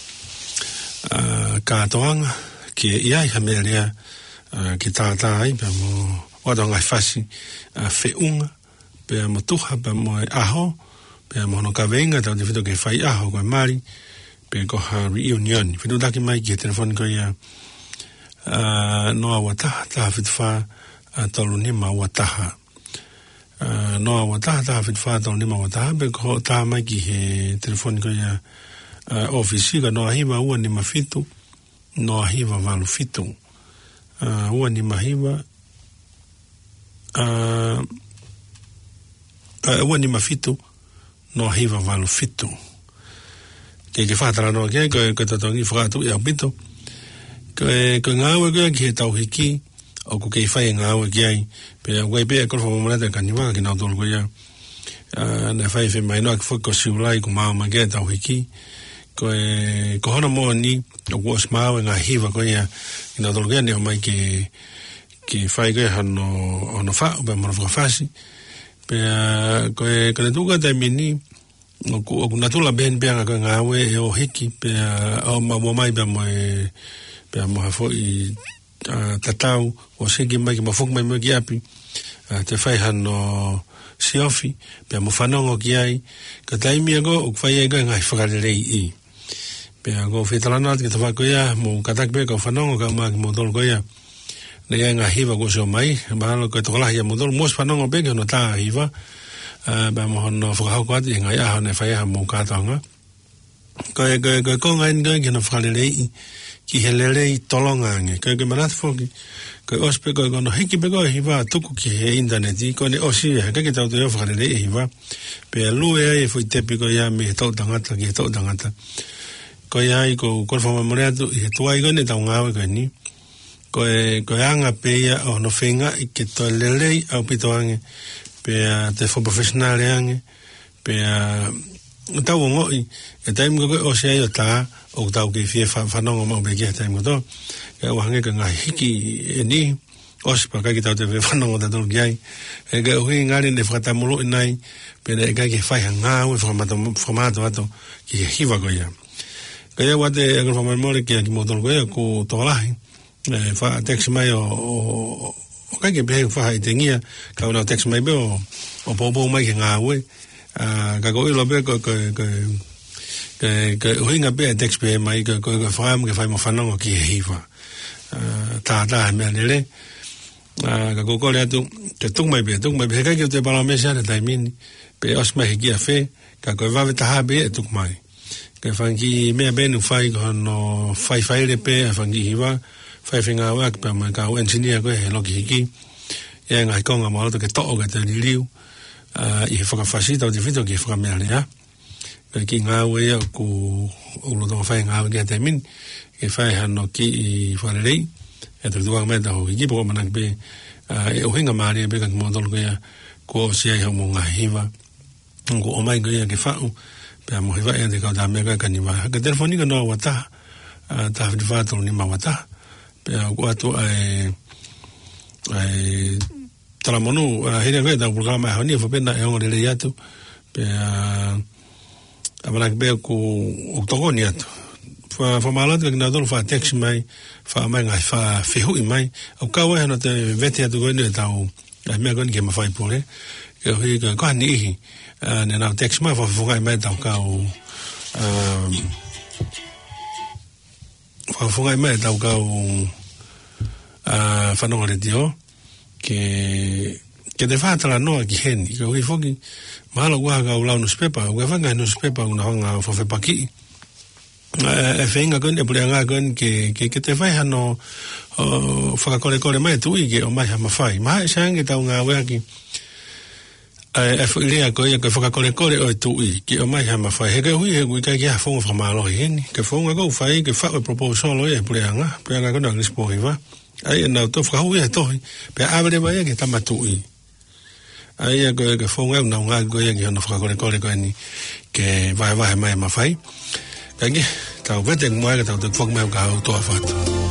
ʻa, kātoanga, ke ʻi ai ha meʻa lea, ʻa, ke tātā ai, pea mo ʻoatu ha ngaahi fasi, ʻa, feʻunga, pea mo tuha, pea mo e ʻaho, pea mo hono kaveinga, tautefito ki he faiʻaho, ko e mali, pe ko ha reunion. Fetuʻutaki mai ki he telefoni ko ia, ʻa, noa ua taha, taha fitu fā, ʻa, tolu nima ua taha. ʻA, noa ua taha, taha fitu fā, tolu nima ua taha, pe ko e tā mai ki he telefoni ko ia, ʻa, ʻōfisi, ko e noa hiva ua nima fitu, noa hiva valu fitu. ʻA, ua nima hiva, ʻa, ʻa, ua nima fitu, noa hiva valu fitu. Ke, ke fakatalanoa ki ai, ko e, ko e totongi fakaʻatuʻi ʻaupito. Ko e, ko e ngāue ko ia ki he tau hiki, ʻoku kei fai e ngāue ki ai, pea ʻoku ʻi ai pē ʻa e koloa fakamolemole atu ʻa Kaniva, kinautolu ko ia, ʻa, naʻe fai e femahinoʻaki foki ko Siulai kuo maau mai ki ai e tau hiki. Ko e, ko hono moʻoni, ʻoku ʻosi maau e ngaahi hiva ko ia, kinautolu ko ia ne ʻomai ke, ke fai ko ia hono, hono faʻu, pea mo hono fakafasi. Pea, ko e, ko e tuʻu ko e taimi ni, ʻoku, ʻoku natula pē eni pea ngā ko e ngāue ʻe ō hiki, pea ʻo maʻu mai pea mo e, pea mo ha foʻi, ʻa, tatau, ʻosi hiki mai ke mau foki mai mo ia ki ʻapi, ʻa, toe fai hano siofi, pea mo fanongo ki ai, ka taimi ia ko ē, ʻoku fai ai ko e ngaahi fakaleleiʻi. Pea ko e fie talanoa atu ki he tafaʻaki ko ia, mou kātaki pē kau fanongo, kau mai kimoutolu ko ia. Naʻe ʻi ai e ngaahi hiva kuo ʻosi ō mai, mahalo ko e tokolahi ʻia moutolu, mou ʻosi fanongo pē ki hono tā hiva, ʻa, pea mo hono fakahoko atu ʻi he ngaahi ʻaho naʻe fai ai haʻamou kātoanga. Ko e, ko e, ko e konga eni ko e ki hono fakaleleiʻi, ki he lelei tolonga ange. Ko e, ko e manatu foki, ko e ʻosi pē ko e, ko hono hiki pē ko e hiva tuku ki he ʻinitaneti, ko ʻene ʻosi ia, he ʻikai ke tau toe ō fakaleleiʻi e hiva. Pea lue ai e foʻi tepi ko ia mei he toʻutangata ki he toʻutangata. Ko ia ai ko, ko e fakamolemole atu, ʻi he tuai ko eni ʻetau ngāue ko eni. Ko e, ko e anga pē ia ʻo hono feingaʻi ke toe lelei ʻaupito ange, pea toe fakaprofessional ange, pea tau ongoʻi, e taimi ko ē ʻosi ai ʻo tā, ʻoku tau kei fie fa-, fanongo maʻu pē ki ai he taimi kotoa. Ka ʻoku hangē ko e ngaahi hiki eni, ʻosi pea ʻikai ke tau toe fie fanongo tautolu ki ai. He koeʻuhi ngali ne fakatamuluʻi nai, pea naʻe ʻikai ke fai ha ngāue fakamāto-, fakamātoato ki he hiva ko ia. Ka ia ʻoatu e koloa fakamolemole kia kimoutolu ko ia, ko e tokolahi. ʻE, faʻa text mai ʻo, ʻo, ʻo, ʻo ʻikai ke pehē faʻa ʻi tengia, ka ʻoku nau text mai pē ʻo, ʻo poupou mai ki he ngāue. ʻA, ka ʻoku ou ʻilo pē ko, ko, ko, ko, ko e ʻuhinga pē e text pē mai, ko, ko, ko e fakaʻamu ke fai mo fanongo ki he hiva. ʻA, tātā he meʻalele. ʻA, ka ʻoku ou kole atu, ke tuku mai pē, tuku mai pē, he ʻikai ke u toe palamesi ʻa e taimi ni, pe ʻosi mai he kia fē, ka ko e vave taha pē ʻe tuku mai. Ko e fanga kiʻi meʻa pē ʻoku fai ko hono faifaile pē ʻa e fanga kiʻi hiva, fai fengāueʻaki pea mo e kau engineer ko ē he loki hiki. ʻI ai e ngaahi konga mālohi ke toʻo ke te liliu, ʻa, ʻi he fakafasi tautefito ki he fakameʻalea. Ko e kiʻi ngāue ia ʻoku, ʻoku lolotonga fai e ngāue ki he taimi ni, ke fai hano kiʻi fakalelei, ʻe tau tuanga mai ʻetau hiki, pea ʻoku ou ʻamanaki pē, ʻa, ʻe ʻuhinga mālie pē kia kimoutolu ko ia, kuo ʻosi ai hoʻomou ngaahi hiva. Kuo ʻomai ko ia ke faʻu, pea mo e hiva ʻe te kau tā meʻa ko ē kia Kaniva. Ko e telefoni ko e noa ua taha, ʻa, taha fitu fā tolu nima ua taha. Pea ʻoku ʻoatu ʻa e, ʻa e talamonū, ʻa, hili ange ʻetau polokalama he ʻaho ni, ʻe fai pē naʻe ongo lelei atu. Pea, ʻa, ʻamanaki pē ʻoku, ʻoku tokoni atu. Fa-, fakamālō atu kia kinautolu faʻa text mai, faʻa ʻomai ngaahi faʻa fehuʻi mai. ʻOku kau ai hano toe vete atu ko eni ʻetau ʻa e meʻa ko eni ke mafai pule. Koeʻuhi ko, ko ha niʻihi, ʻa, ne nau text mai, fakafofongaʻi mai ʻetau kau, ʻa, fakafofongaʻi mai ʻetau kau, ʻa, fanongo letiō. Ke, ke te fakatalanoa ki heni. Koeʻuhi foki, mahalo ʻoku ʻi ai ha kau lau nusipepa, ʻoku ʻi ai e fanga nusipepa, ʻoku nau hanga ʻo fakafepakiʻi. ʻE, ʻe feinga ko eni, ʻe puleʻanga ko eni ke, ke, ke te fai hano, ʻo, fakakolekole mai tuʻi ke ʻomai ha mafai. Mahalo ʻe sai ange ke tau ngāueʻaki ʻa e, ʻa e foʻi lea ko ia, ko e fakakolekole ʻo e tuʻi ke ʻomai ha mafai. He koeʻuhi he ʻoku ʻikai ke ʻi ai ha founga fakamālohi heni. Ko e founga ʻoku fai, ke faʻu e proposal ʻo ia ʻe he puleʻanga, puleʻanga ko ena ʻo Lisipoiva. ʻA ia naʻa nau toe fakahū ia he tohi, pea ʻave leva ia ki he tama tuʻi. ʻA ia ko e, ko e founga ʻoku nau ngāueʻaki ko ia ki hono fakakolekole ko eni, ke vahevahe mai e mafai. Ka ke, tau vete mo e, ka tau toe foki mai ʻo ka ʻoku tō ʻa fatu.